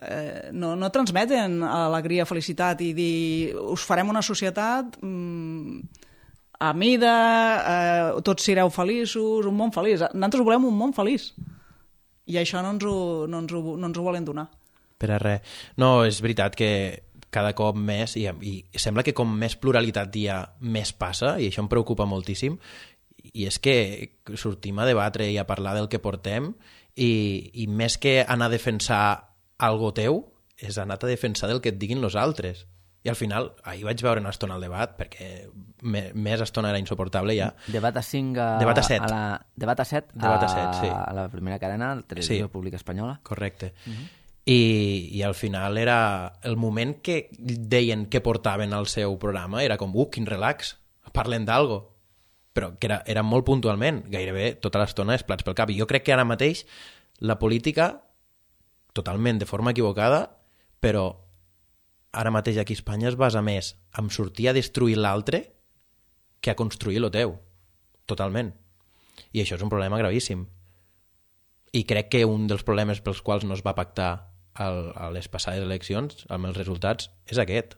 S3: Eh, no, no transmeten alegria, felicitat i dir us farem una societat mm, a mida, eh, tots sereu feliços, un món feliç. Nosaltres volem un món feliç i això no ens ho, no ens ho, no ens ho volen donar.
S5: Per a res. No, és veritat que cada cop més, i, i sembla que com més pluralitat hi ha, més passa, i això em preocupa moltíssim, i és que sortim a debatre i a parlar del que portem, i, i més que anar a defensar algo teu, és anar a defensar del que et diguin los altres. I al final, ahir vaig veure una estona al debat, perquè me, més estona era insuportable ja.
S4: Debat a cinc a...
S5: Debat a set.
S4: A la, debat a set,
S5: debat a, set, sí.
S4: A la primera cadena, la televisió
S5: sí.
S4: pública espanyola.
S5: Correcte.
S4: Uh -huh.
S5: I, I al final era... El moment que deien que portaven al seu programa era com, uh, quin relax, parlen d'algo. Però que era, era molt puntualment, gairebé tota l'estona és plats pel cap. I jo crec que ara mateix la política, totalment de forma equivocada, però ara mateix aquí a Espanya es basa més en sortir a destruir l'altre que a construir lo teu. Totalment. I això és un problema gravíssim. I crec que un dels problemes pels quals no es va pactar el, a les passades eleccions, amb els resultats, és aquest.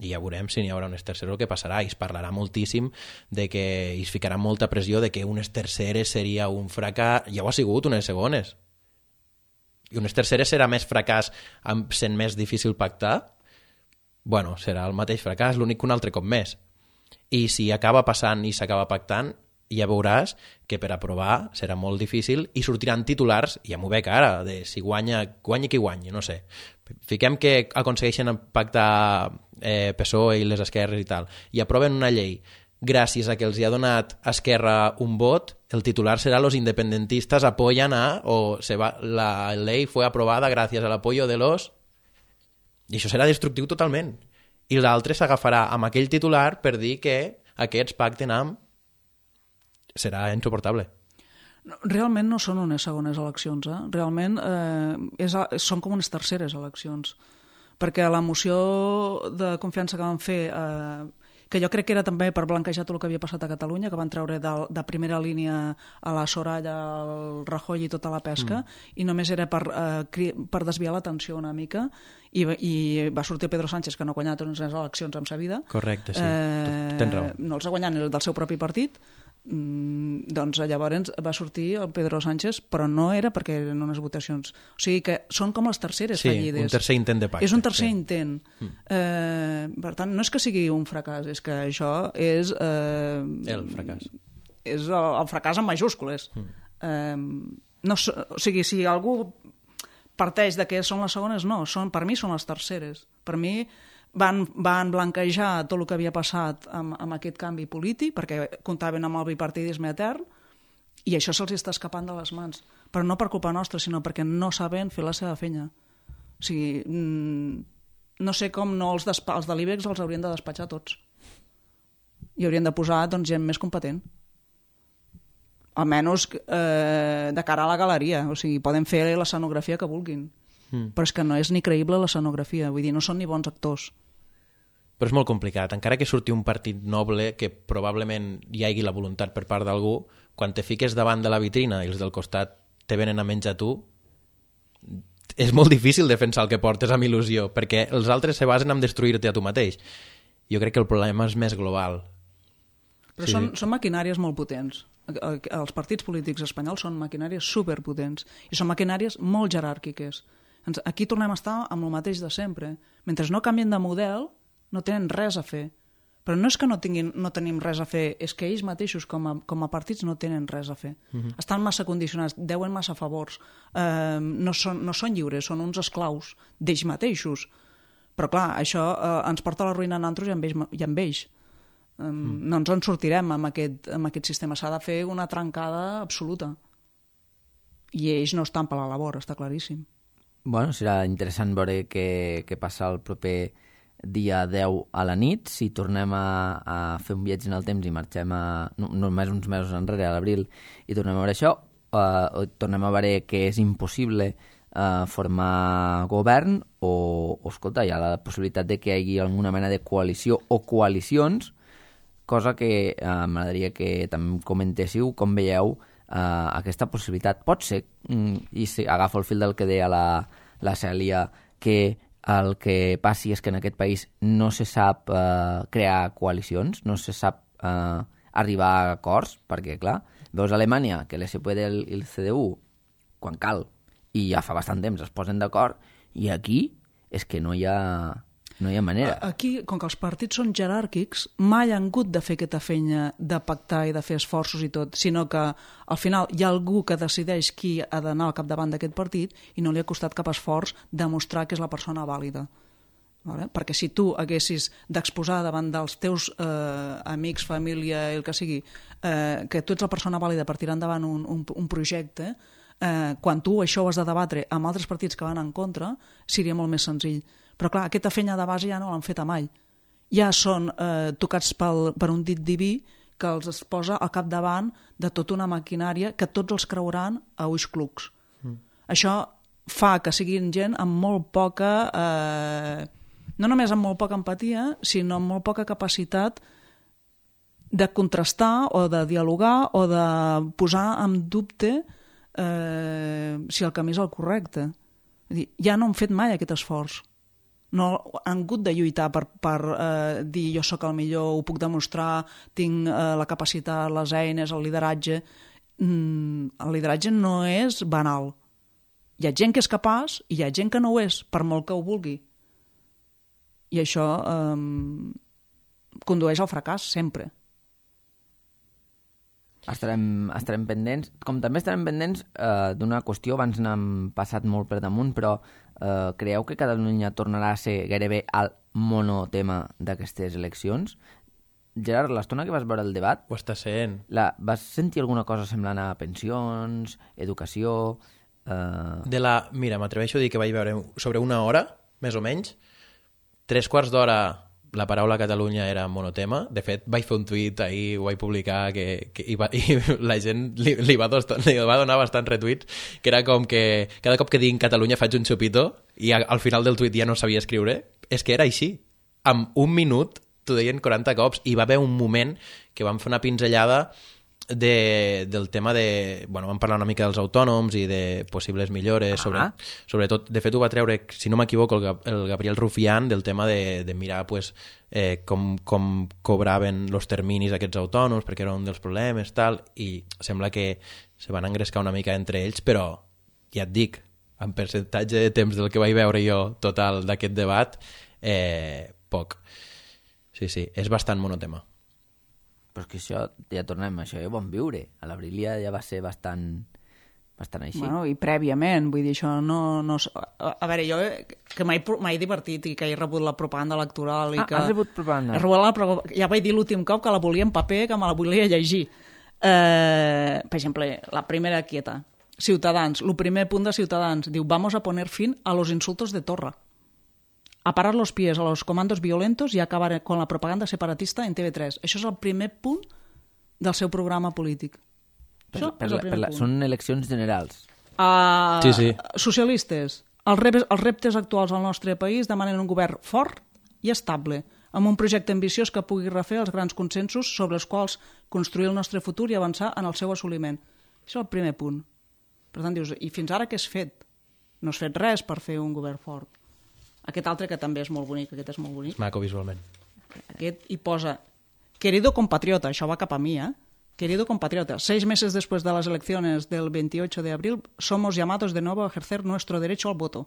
S5: I ja veurem si n'hi haurà unes terceres o què passarà. I es parlarà moltíssim de que i es ficarà molta pressió de que unes terceres seria un fracàs. Ja ho ha sigut, unes segones. I unes terceres serà més fracàs sent més difícil pactar? Bueno, serà el mateix fracàs, l'únic que un altre cop més. I si acaba passant i s'acaba pactant, ja veuràs que per aprovar serà molt difícil i sortiran titulars, ja m'ho veig ara, de si guanya, guanyi qui guanyi, no sé. Fiquem que aconsegueixen pactar eh, P S O E i les esquerres i tal, i aproven una llei gràcies a que els hi ha donat a Esquerra un vot, el titular serà los independentistas apoyan a, o se va, la ley fue aprobada gracias al apoyo de los... I això serà destructiu totalment. I l'altre s'agafarà amb aquell titular per dir que aquests pacten amb... Serà insuportable.
S3: Realment no són unes segones eleccions, eh? Realment eh, és, són com unes terceres eleccions. Perquè la moció de confiança que van fer... Eh, que jo crec que era també per blanquejar tot el que havia passat a Catalunya, que van treure de, de primera línia a la Soraya, al Rajoy i tota la pesca, mm. i només era per, eh, per desviar l'atenció una mica, i, i va sortir Pedro Sánchez, que no ha guanyat unes eleccions en sa vida.
S5: Correcte, sí,
S3: eh,
S5: tens raó.
S3: No els ha guanyat del seu propi partit, mm, doncs llavors va sortir el Pedro Sánchez, però no era perquè eren unes votacions. O sigui que són com les terceres
S5: sí,
S3: fallides.
S5: Sí, un tercer intent de pacte.
S3: És un tercer
S5: sí.
S3: intent. Mm. Eh, per tant, no és que sigui un fracàs, és que això és... Eh,
S5: el fracàs.
S3: És el, el fracàs en majúscules. Mm. Eh, no, o sigui, si algú parteix de que són les segones, no, són, per mi són les terceres. Per mi van, van blanquejar tot el que havia passat amb, amb aquest canvi polític, perquè comptaven amb el bipartidisme etern, i això se'ls està escapant de les mans. Però no per culpa nostra, sinó perquè no saben fer la seva feina. O sigui, no sé com no els, despa- els de l'I B E X els haurien de despatxar tots. I haurien de posar doncs, gent més competent. Almenys eh, de cara a la galeria. O sigui, poden fer l'escenografia que vulguin. Mm. Però és que no és ni creïble l'escenografia. Vull dir, no són ni bons actors.
S5: Però és molt complicat. Encara que surti un partit noble, que probablement hi hagi la voluntat per part d'algú, quan te fiques davant de la vitrina i els del costat te venen a menjar tu, és molt difícil defensar el que portes amb il·lusió, perquè els altres se basen en destruir-te a tu mateix. Jo crec que el problema és més global.
S3: Però
S5: sí.
S3: són, són maquinàries molt potents. Els partits polítics espanyols són maquinàries superpotents i són maquinàries molt jeràrquiques. Aquí tornem a estar amb el mateix de sempre. Mentre no canvien de model, no tenen res a fer. Però no és que no, tinguin, no tenim res a fer, és que ells mateixos com a, com a partits no tenen res a fer. Uh-huh. Estan massa condicionats, deuen massa favors, eh, no, són, no són lliures, són uns esclaus d'ells mateixos. Però clar, això eh, ens porta a la ruïna a nosaltres i amb ells. I amb ells. Eh, mm. No ens en sortirem amb aquest, amb aquest sistema. S'ha de fer una trencada absoluta. I ells no estan per la labor, està claríssim.
S4: Bueno, serà interessant veure què, què passa el proper dia deu a la nit, si tornem a, a fer un viatge en el temps i marxem a, no, només uns mesos enrere, a l'abril, i tornem a veure això, uh, tornem a veure que és impossible uh, formar govern o, o, escolta, hi ha la possibilitat de que hi hagi alguna mena de coalició o coalicions, cosa que uh, m'agradaria que també comentéssiu com veieu uh, aquesta possibilitat. Pot ser, mm, i si agafo el fil del que deia la, la Cèlia, que el que passi és que en aquest país no se sap eh, crear coalicions, no se sap eh, arribar a acords, perquè, clar, veus a Alemanya que l'S P D i el C D U, quan cal, i ja fa bastant temps es posen d'acord, i aquí és que no hi ha, no hi ha manera.
S3: Aquí, com que els partits són jeràrquics, mai han hagut de fer aquesta feina de pactar i de fer esforços i tot, sinó que al final hi ha algú que decideix qui ha d'anar al capdavant d'aquest partit i no li ha costat cap esforç demostrar que és la persona vàlida. Vale? Perquè si tu haguessis d'exposar davant dels teus eh, amics, família, el que sigui, eh, que tu ets la persona vàlida per tirar endavant un, un, un projecte, eh, quan tu això ho has de debatre amb altres partits que van en contra, seria molt més senzill. Però clar, aquesta feina de base ja no l'han feta mai. Ja són eh, tocats pel, per un dit diví que els es posa al capdavant de tota una maquinària que tots els creuran a ulls clucs. Mm. Això fa que siguin gent amb molt poca... Eh, no només amb molt poca empatia, sinó amb molt poca capacitat de contrastar o de dialogar o de posar en dubte eh, si el camí és el correcte. És dir, ja no han fet mai aquest esforç. No han hagut de lluitar per, per eh, dir jo sóc el millor, ho puc demostrar, tinc eh, la capacitat, les eines, el lideratge. Mm, el lideratge no és banal. Hi ha gent que és capaç i hi ha gent que no ho és, per molt que ho vulgui. I això eh, condueix al fracàs, sempre.
S4: Estarem, estarem pendents, com també estarem pendents eh, d'una qüestió, abans n'hem passat molt per damunt, però eh, creieu que Catalunya tornarà a ser gairebé el monotema d'aquestes eleccions? Gerard, l'estona que vas veure el debat...
S5: Ho està sent.
S4: La, vas sentir alguna cosa semblant a pensions, educació... Eh...
S5: De la... Mira, m'atreveixo a dir que vaig veure sobre una hora, més o menys, tres quarts d'hora la paraula Catalunya era monotema. De fet, vaig fer un tuit ahir, ho vaig publicar, que, que i, va, i la gent li, li, va dos, li va donar bastants retuits, que era com que cada cop que diguin Catalunya faig un xupito i a, al final del tuit ja no sabia escriure. És que era així. Amb un minut t'ho deien quaranta cops i va haver un moment que vam fer una pinzellada de, del tema de... Bueno, vam parlar una mica dels autònoms i de possibles millores, sobre,
S4: ah.
S5: sobretot, de fet ho va treure, si no m'equivoco, el, el Gabriel Rufián, del tema de, de mirar pues, eh, com, com cobraven els terminis aquests autònoms, perquè era un dels problemes, tal, i sembla que se van engrescar una mica entre ells, però ja et dic, en percentatge de temps del que vaig veure jo total d'aquest debat, eh, poc. Sí, sí, és bastant monotema.
S4: Però és que això, ja tornem, això ja ho vam viure. A l'abril ja, ja va ser bastant, bastant així.
S3: Bueno, i prèviament, vull dir, això no... no a, a veure, jo que m'he m'he divertit i que he rebut la propaganda electoral i
S4: ah,
S3: que...
S4: has rebut propaganda?
S3: He rebut la, ja vaig dir l'últim cop que la volia en paper, que me la volia llegir. Eh, per exemple, la primera quieta. Ciutadans, el primer punt de Ciutadans, diu, vamos a poner fin a los insultos de Torra. A parar los pies a los comandos violentos y acabar con la propaganda separatista en T V tres. Això és el primer punt del seu programa polític.
S4: Per, per la, per la, són eleccions generals.
S3: Uh,
S5: sí, sí.
S3: Socialistes, els reptes, els reptes actuals al nostre país demanen un govern fort i estable, amb un projecte ambiciós que pugui refer els grans consensos sobre els quals construir el nostre futur i avançar en el seu assoliment. Això és el primer punt. Per tant, dius, i fins ara què has fet? No has fet res per fer un govern fort. Aquest altre, que també és molt bonic, aquest és molt bonic.
S5: És maco visualment.
S3: Aquest hi posa, querido compatriota, això va cap a mi, eh? Querido compatriota, seis meses después de las elecciones del veintiocho de abril, somos llamados de nuevo a ejercer nuestro derecho al voto.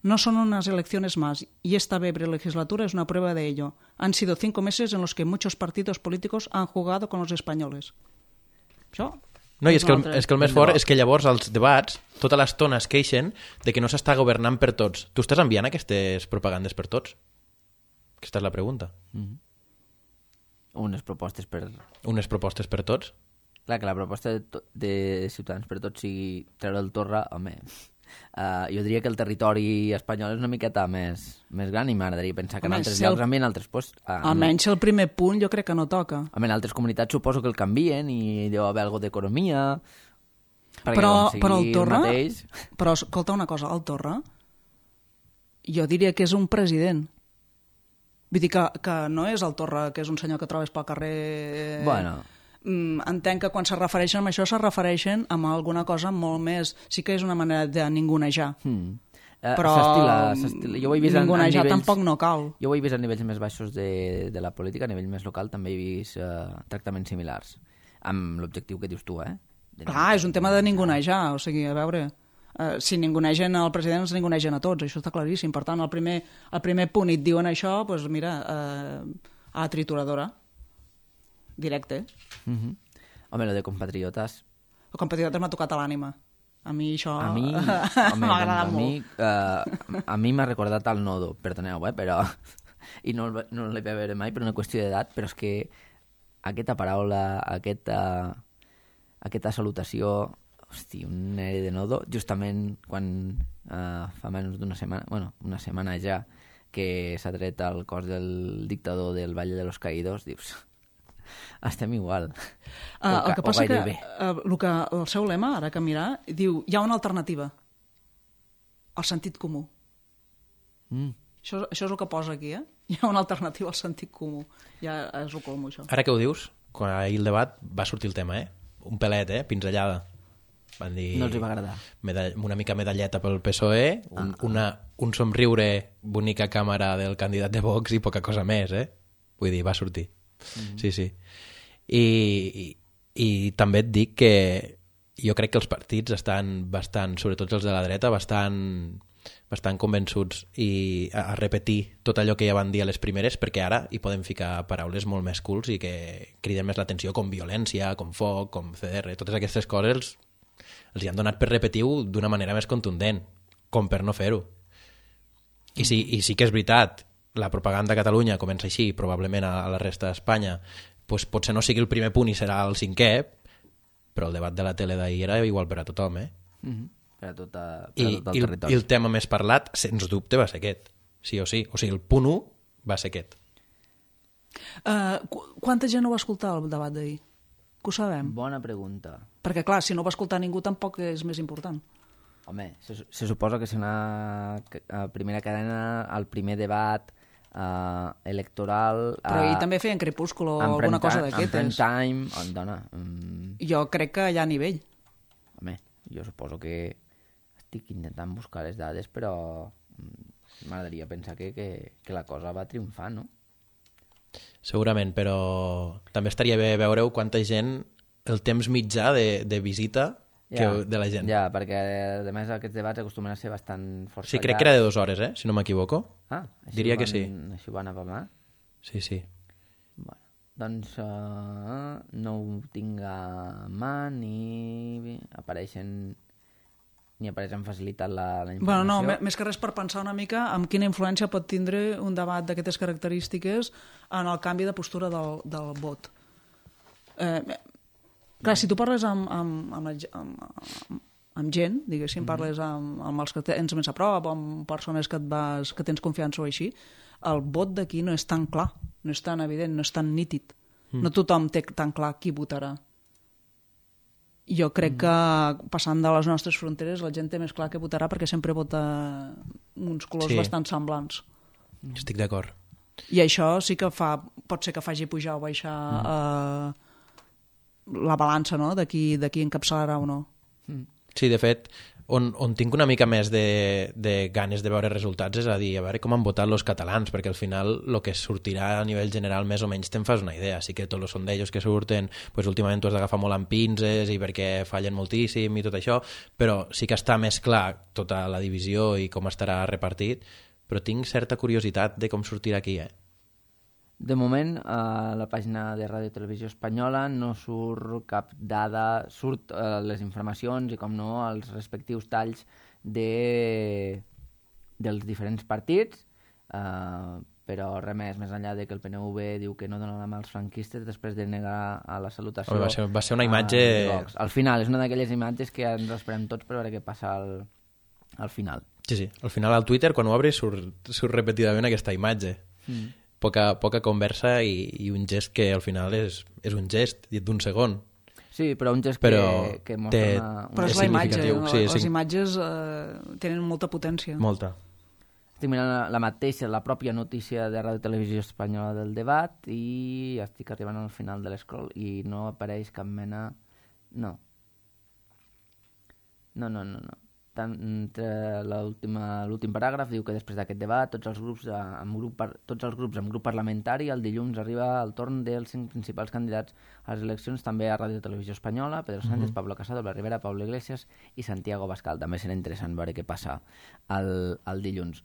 S3: No son unas elecciones más, y esta breve legislatura es una prueba de ello. Han sido cinco meses en los que muchos partidos políticos han jugado con los españoles. Això...
S5: No, i és que, el, és que el més fort és que llavors els debats tota l'estona es queixen de que no s'està governant per tots. Tu estàs enviant aquestes propagandes per tots? Aquesta és la pregunta.
S4: Mm-hmm. Unes propostes per...
S5: Unes propostes per tots?
S4: Clar, que la proposta de, to de Ciutadans per tots sigui treure el Torra, home... Uh, jo diria que el territori espanyol és una miqueta més, més gran i m'agradaria pensar que en
S3: Home,
S4: altres
S3: si el-
S4: llocs, també en altres pues, uh,
S3: Almenys el primer punt jo crec que no toca.
S4: en altres comunitats suposo que el canvien i deu haver alguna d'economia. Perquè
S3: Però,
S4: com sigui
S3: però el Torra...
S4: mateix...
S3: Però escolta una cosa, el Torra jo diria que és un president. Vull dir que, que no és el Torra, que és un senyor que trobes pel carrer...
S4: Bueno...
S3: Mm, entenc que quan se refereixen a això se refereixen a alguna cosa molt més... Sí que és una manera de ningunejar.
S4: Hmm. Eh,
S3: Però
S4: s'estila, s'estila. Jo ho he vist en, en
S3: ningunejar
S4: nivells...
S3: tampoc no cal.
S4: Jo ho he vist a nivells més baixos de, de la política, a nivell més local també he vist uh, tractaments similars, amb l'objectiu que dius tu, eh? De
S3: Clar, és un tema de ningunejar, o sigui, a veure... Uh, si ningunegen el president, ens ningunegen a tots, això està claríssim. Per tant, al primer, al primer punt et diuen això, doncs mira, uh, a la trituradora, directe.
S4: Uh -huh. Home, lo de compatriotes...
S3: El compatriota m'ha tocat a l'ànima. A mi això
S4: A mi, home,
S3: m'ha
S4: doncs,
S3: agradat
S4: a mi, uh, a mi m'ha recordat el nodo, perdoneu, eh, però... I no, el- no l'he de veure mai per una qüestió d'edat, però és que aquesta paraula, aquesta, aquesta salutació, hosti, un aire de nodo, justament quan uh, fa menys d'una setmana, bueno, una setmana ja, que s'ha tret el cos del dictador del Valle de los Caídos, dius, estem igual.
S3: Uh,
S4: O
S3: el que passa que,
S4: gairebé.
S3: uh, el que el seu lema, ara que mirar, diu, hi ha una alternativa. El sentit comú.
S4: Mm.
S3: Això, això és el que posa aquí, eh? Hi ha una alternativa al sentit comú. Ja és el colmo, això.
S5: Ara que ho dius, quan ahir el debat va sortir el tema, eh? Un pelet, eh? Pinzellada. Van dir...
S4: No els hi va agradar.
S5: Medall... Una mica medalleta pel P S O E, un,
S4: Ah.
S5: una, un somriure, bonica càmera del candidat de Vox i poca cosa més, eh? Vull dir, va sortir. Mm -hmm. Sí, sí. I, i, I també et dic que jo crec que els partits estan bastant, sobretot els de la dreta, bastant, bastant convençuts i a, a repetir tot allò que ja van dir a les primeres, perquè ara hi podem ficar paraules molt més cools i que criden més l'atenció, com violència, com foc, com C D R, totes aquestes coses els, els hi han donat per repetir-ho d'una manera més contundent, com per no fer-ho. I sí, I sí que és veritat, la propaganda a Catalunya comença així, probablement a, a la resta d'Espanya, pues potser no sigui el primer punt i serà el cinquè, però el debat de la tele d'ahir era igual per a tothom, eh?
S4: Mm -hmm. Per a, tota, per
S5: I,
S4: a tot el
S5: i, el,
S4: territori.
S5: I el tema més parlat, sens dubte, va ser aquest. Sí o sí. O sigui, el punt un va ser aquest.
S3: Uh, qu quanta gent no va escoltar el debat d'ahir? Que ho sabem?
S4: Bona pregunta.
S3: Perquè, clar, si no va escoltar ningú tampoc és més important.
S4: Home, se, se suposa que és una uh, primera cadena, el primer debat uh, electoral... Uh,
S3: Però ahir també feien Crepúsculo o
S4: en
S3: alguna
S4: prime
S3: cosa
S4: time- En
S3: d'aquestes.
S4: prime time, on dona... Um,
S3: Jo crec que hi ha nivell.
S4: home, jo suposo que estic intentant buscar les dades, però mm, m'agradaria pensar que, que, que la cosa va triomfar, no?
S5: Segurament, però també estaria bé veure quanta gent, el temps mitjà de, de visita que
S4: Ja,
S5: de la gent.
S4: Ja, perquè a més aquests debats acostumen a ser bastant força
S5: Sí, crec que era de dues hores, eh? Si no m'equivoco.
S4: Ah, així
S5: Diria
S4: ho
S5: que
S4: van,
S5: sí.
S4: Així ho van apamar?
S5: Sí, sí.
S4: Bueno, doncs uh, no ho tinc a mà ni apareixen ni apareixen facilitat la, la
S3: Bueno, no,
S4: informació.
S3: me- més que res per pensar una mica en quina influència pot tindre un debat d'aquestes característiques en el canvi de postura del, del vot. Eh, clar, si tu parles amb, amb, amb, la ge- amb, amb, amb gent, diguéssim, parles amb, amb els que tens més a prop, amb persones que, et vas, que tens confiança o així, el vot d'aquí no és tan clar, no és tan evident, no és tan nítid. Mm. No tothom té tan clar qui votarà. Jo crec mm. que passant de les nostres fronteres la gent té més clar que votarà perquè sempre vota uns colors
S5: Sí.
S3: sí. bastant semblants.
S5: Estic d'acord.
S3: I això sí que fa, pot ser que faci pujar o baixar mm. eh, la balança, no?, de qui, de qui encapçalarà o no.
S5: Sí, de fet, on, on tinc una mica més de, de ganes de veure resultats és a dir, a veure com han votat els catalans, perquè al final el que sortirà a nivell general més o menys te'n fas una idea. Sí que tots els sondejos que surten, pues, últimament tu has d'agafar molt amb pinces i perquè fallen moltíssim i tot això, però sí que està més clar tota la divisió i com estarà repartit, però tinc certa curiositat de com sortirà aquí, eh?
S4: De moment, a la pàgina de Ràdio Televisió Espanyola no surt cap dada, surt eh, les informacions i, com no, els respectius talls de, dels diferents partits, eh, però res més, més enllà de que el P N V diu que no dona la mà als franquistes després de negar a la salutació.
S5: Home, va ser- va ser una
S4: a
S5: imatge-
S4: Vox. Al final, és una d'aquelles imatges que ens esperem tots per veure què passa al, al final.
S5: Sí, sí. Al final al Twitter, quan ho obres, surt, surt repetidament aquesta imatge. Mm. Poca, poca conversa i, i un gest que al final és, és un gest d'un segon.
S4: Sí, però un gest
S5: però
S4: que, que mostra
S5: té,
S4: una... una...
S3: Però és la imatge, no?
S5: sí,
S3: les
S5: sí.
S3: imatges eh, tenen molta potència.
S5: Molta.
S4: Estic mirant la, la mateixa, la pròpia notícia de Ràdio Televisió Espanyola del debat i estic arribant al final de l'escroll i no apareix cap mena... No. No, no, no, no. Tant, entre l'últim paràgraf diu que després d'aquest debat tots els grups amb grup, par, tots els grups amb grup parlamentari el dilluns arriba el torn dels cinc principals candidats a les eleccions també a Ràdio Televisió Espanyola, Pedro Sánchez, uh -huh. Pablo Casado, Blas Rivera, Pablo Iglesias i Santiago Bascal. També serà interessant veure què passa el, el dilluns.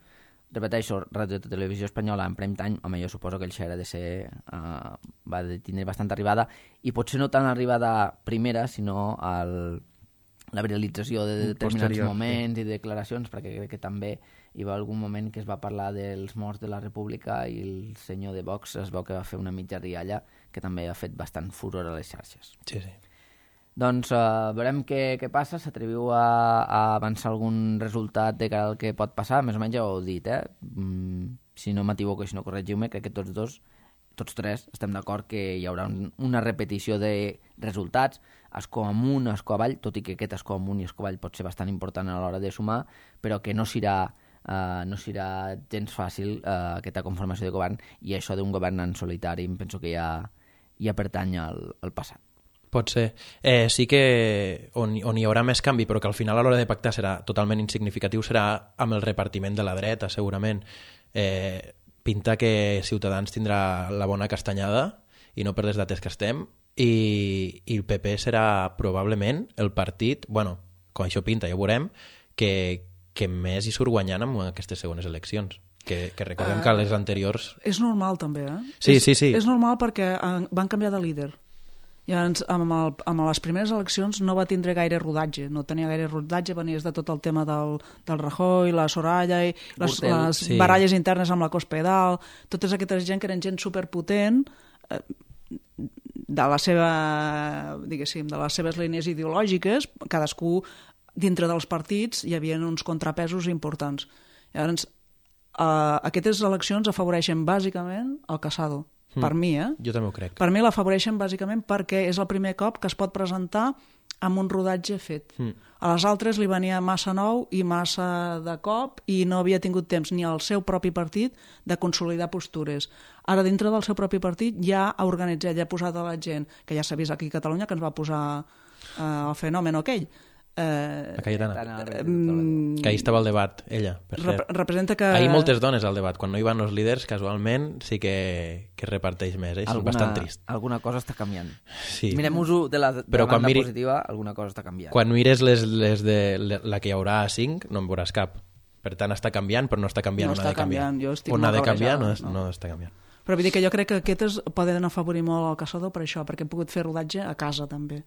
S4: Repeteixo, Ràdio Televisió Espanyola en prime time, home, jo suposo que el xer ha de ser uh, va de tindre bastanta arribada i potser no tant arribada primera sinó al la viralització de determinats posterior, moments sí. i declaracions, perquè crec que també hi va algun moment que es va parlar dels morts de la República i el senyor de Vox es veu que va fer una mitja rialla que també ha fet bastant furor a les xarxes.
S5: Sí, sí.
S4: Doncs uh, veurem què, què passa, s'atreviu a, a avançar algun resultat de cara al que pot passar, més o menys ja ho heu dit, eh? Mm, si no m'equivoco i si no corregiu-me, crec que tots dos, tots tres, estem d'acord que hi haurà un, una repetició de resultats, escó amunt, escó avall, tot i que aquest escó amunt i escó avall pot ser bastant important a l'hora de sumar, però que no serà, uh, no serà gens fàcil uh, aquesta conformació de govern, i això d'un govern en solitari em penso que ja, ja pertany al, al passat.
S5: Pot ser. Eh, sí que on, on hi haurà més canvi, però que al final a l'hora de pactar serà totalment insignificatiu, serà amb el repartiment de la dreta, segurament. Eh, pinta que Ciutadans tindrà la bona castanyada, i no per les dates que estem, i, i el P P serà probablement el partit, bueno, com això pinta, ja ho veurem, que, que més hi surt guanyant amb aquestes segones eleccions. Que, que recordem uh, que les anteriors...
S3: És normal, també, eh?
S5: Sí,
S3: és,
S5: sí, sí.
S3: És normal perquè van canviar de líder. Llavors, amb, el, amb les primeres eleccions no va tindre gaire rodatge, no tenia gaire rodatge, venies de tot el tema del, del Rajoy, la Soraya, i les, les sí. baralles internes amb la Cospedal, totes aquestes gent que eren gent superpotent, eh, de la seva, diguéssim, de les seves línies ideològiques, cadascú dintre dels partits hi havia uns contrapesos importants. Llavors, eh, aquestes eleccions afavoreixen bàsicament el Casado. Mm. Per mi, eh?
S5: Jo també ho crec.
S3: Per mi l'afavoreixen bàsicament perquè és el primer cop que es pot presentar amb un rodatge fet. Mm. A les altres li venia massa nou i massa de cop i no havia tingut temps ni al seu propi partit de consolidar postures. Ara, dintre del seu propi partit, ja ha organitzat, ja ha posat a la gent, que ja s'ha vist aquí a Catalunya, que ens va posar eh, el fenomen aquell.
S5: Eh, la Cayetana.
S3: Eh,
S5: que ahir estava al debat, ella, per
S3: rep
S5: cert.
S3: Representa que...
S5: Ahir moltes dones al debat. Quan no hi van els líders, casualment, sí que, que reparteix més. Eh? És
S4: alguna,
S5: bastant trist.
S4: Alguna cosa està canviant.
S5: Sí.
S4: Mirem-ho de la, de
S5: Però
S4: la banda
S5: miri...
S4: positiva, alguna cosa està canviant.
S5: Quan mires les, les de la que hi haurà a cinc, no en veuràs cap. Per tant, està canviant, però no està canviant
S3: no
S5: on
S3: està
S5: ha de canviar.
S3: Canviant. Jo estic
S5: on ha de canviar no,
S3: no.
S5: no està canviant.
S3: Però vull dir que jo crec que aquestes poden afavorir molt el Casado per això, perquè hem pogut fer rodatge a casa també.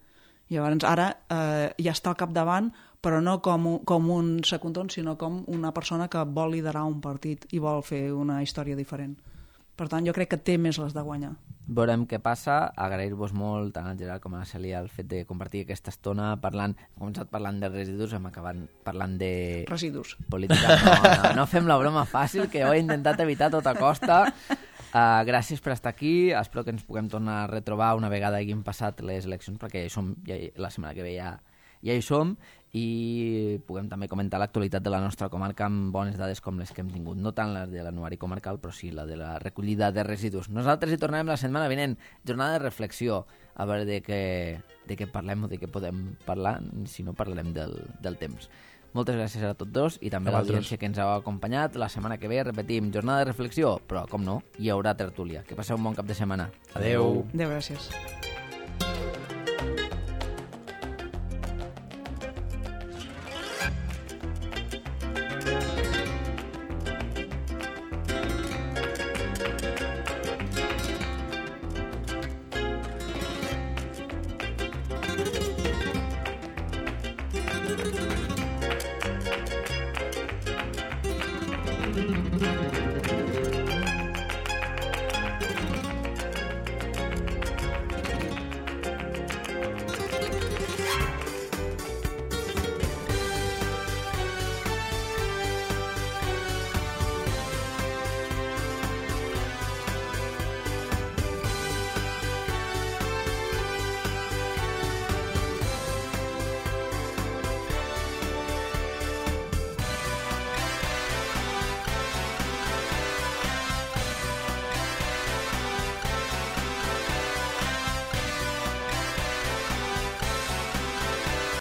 S3: I llavors ara eh, ja està al capdavant, però no com un, com un secundon, sinó com una persona que vol liderar un partit i vol fer una història diferent. Per tant, jo crec que té més les de guanyar.
S4: Veurem què passa, agrair-vos molt tant al Gerard com a la Cèlia el fet de compartir aquesta estona parlant, hem començat parlant de residus, hem acabat parlant de...
S3: Residus.
S4: Política. No, no, no fem la broma fàcil, que ho he intentat evitar a tota costa. Uh, gràcies per estar aquí, espero que ens puguem tornar a retrobar una vegada hagin passat les eleccions, perquè ja hi som, ja, la setmana que ve ja, ja hi som, i puguem també comentar l'actualitat de la nostra comarca amb bones dades com les que hem tingut, no tant les de l'anuari comarcal, però sí la de la recollida de residus. Nosaltres hi tornarem la setmana vinent, jornada de reflexió, a veure de què, de què parlem o de què podem parlar, si no parlarem del, del temps. Moltes gràcies a tots dos i també a l'audiència que ens ha acompanyat. La setmana que ve repetim jornada de reflexió, però com no, hi haurà tertúlia. Que passeu un bon cap de setmana.
S5: Adeu.
S3: Adeu, gràcies.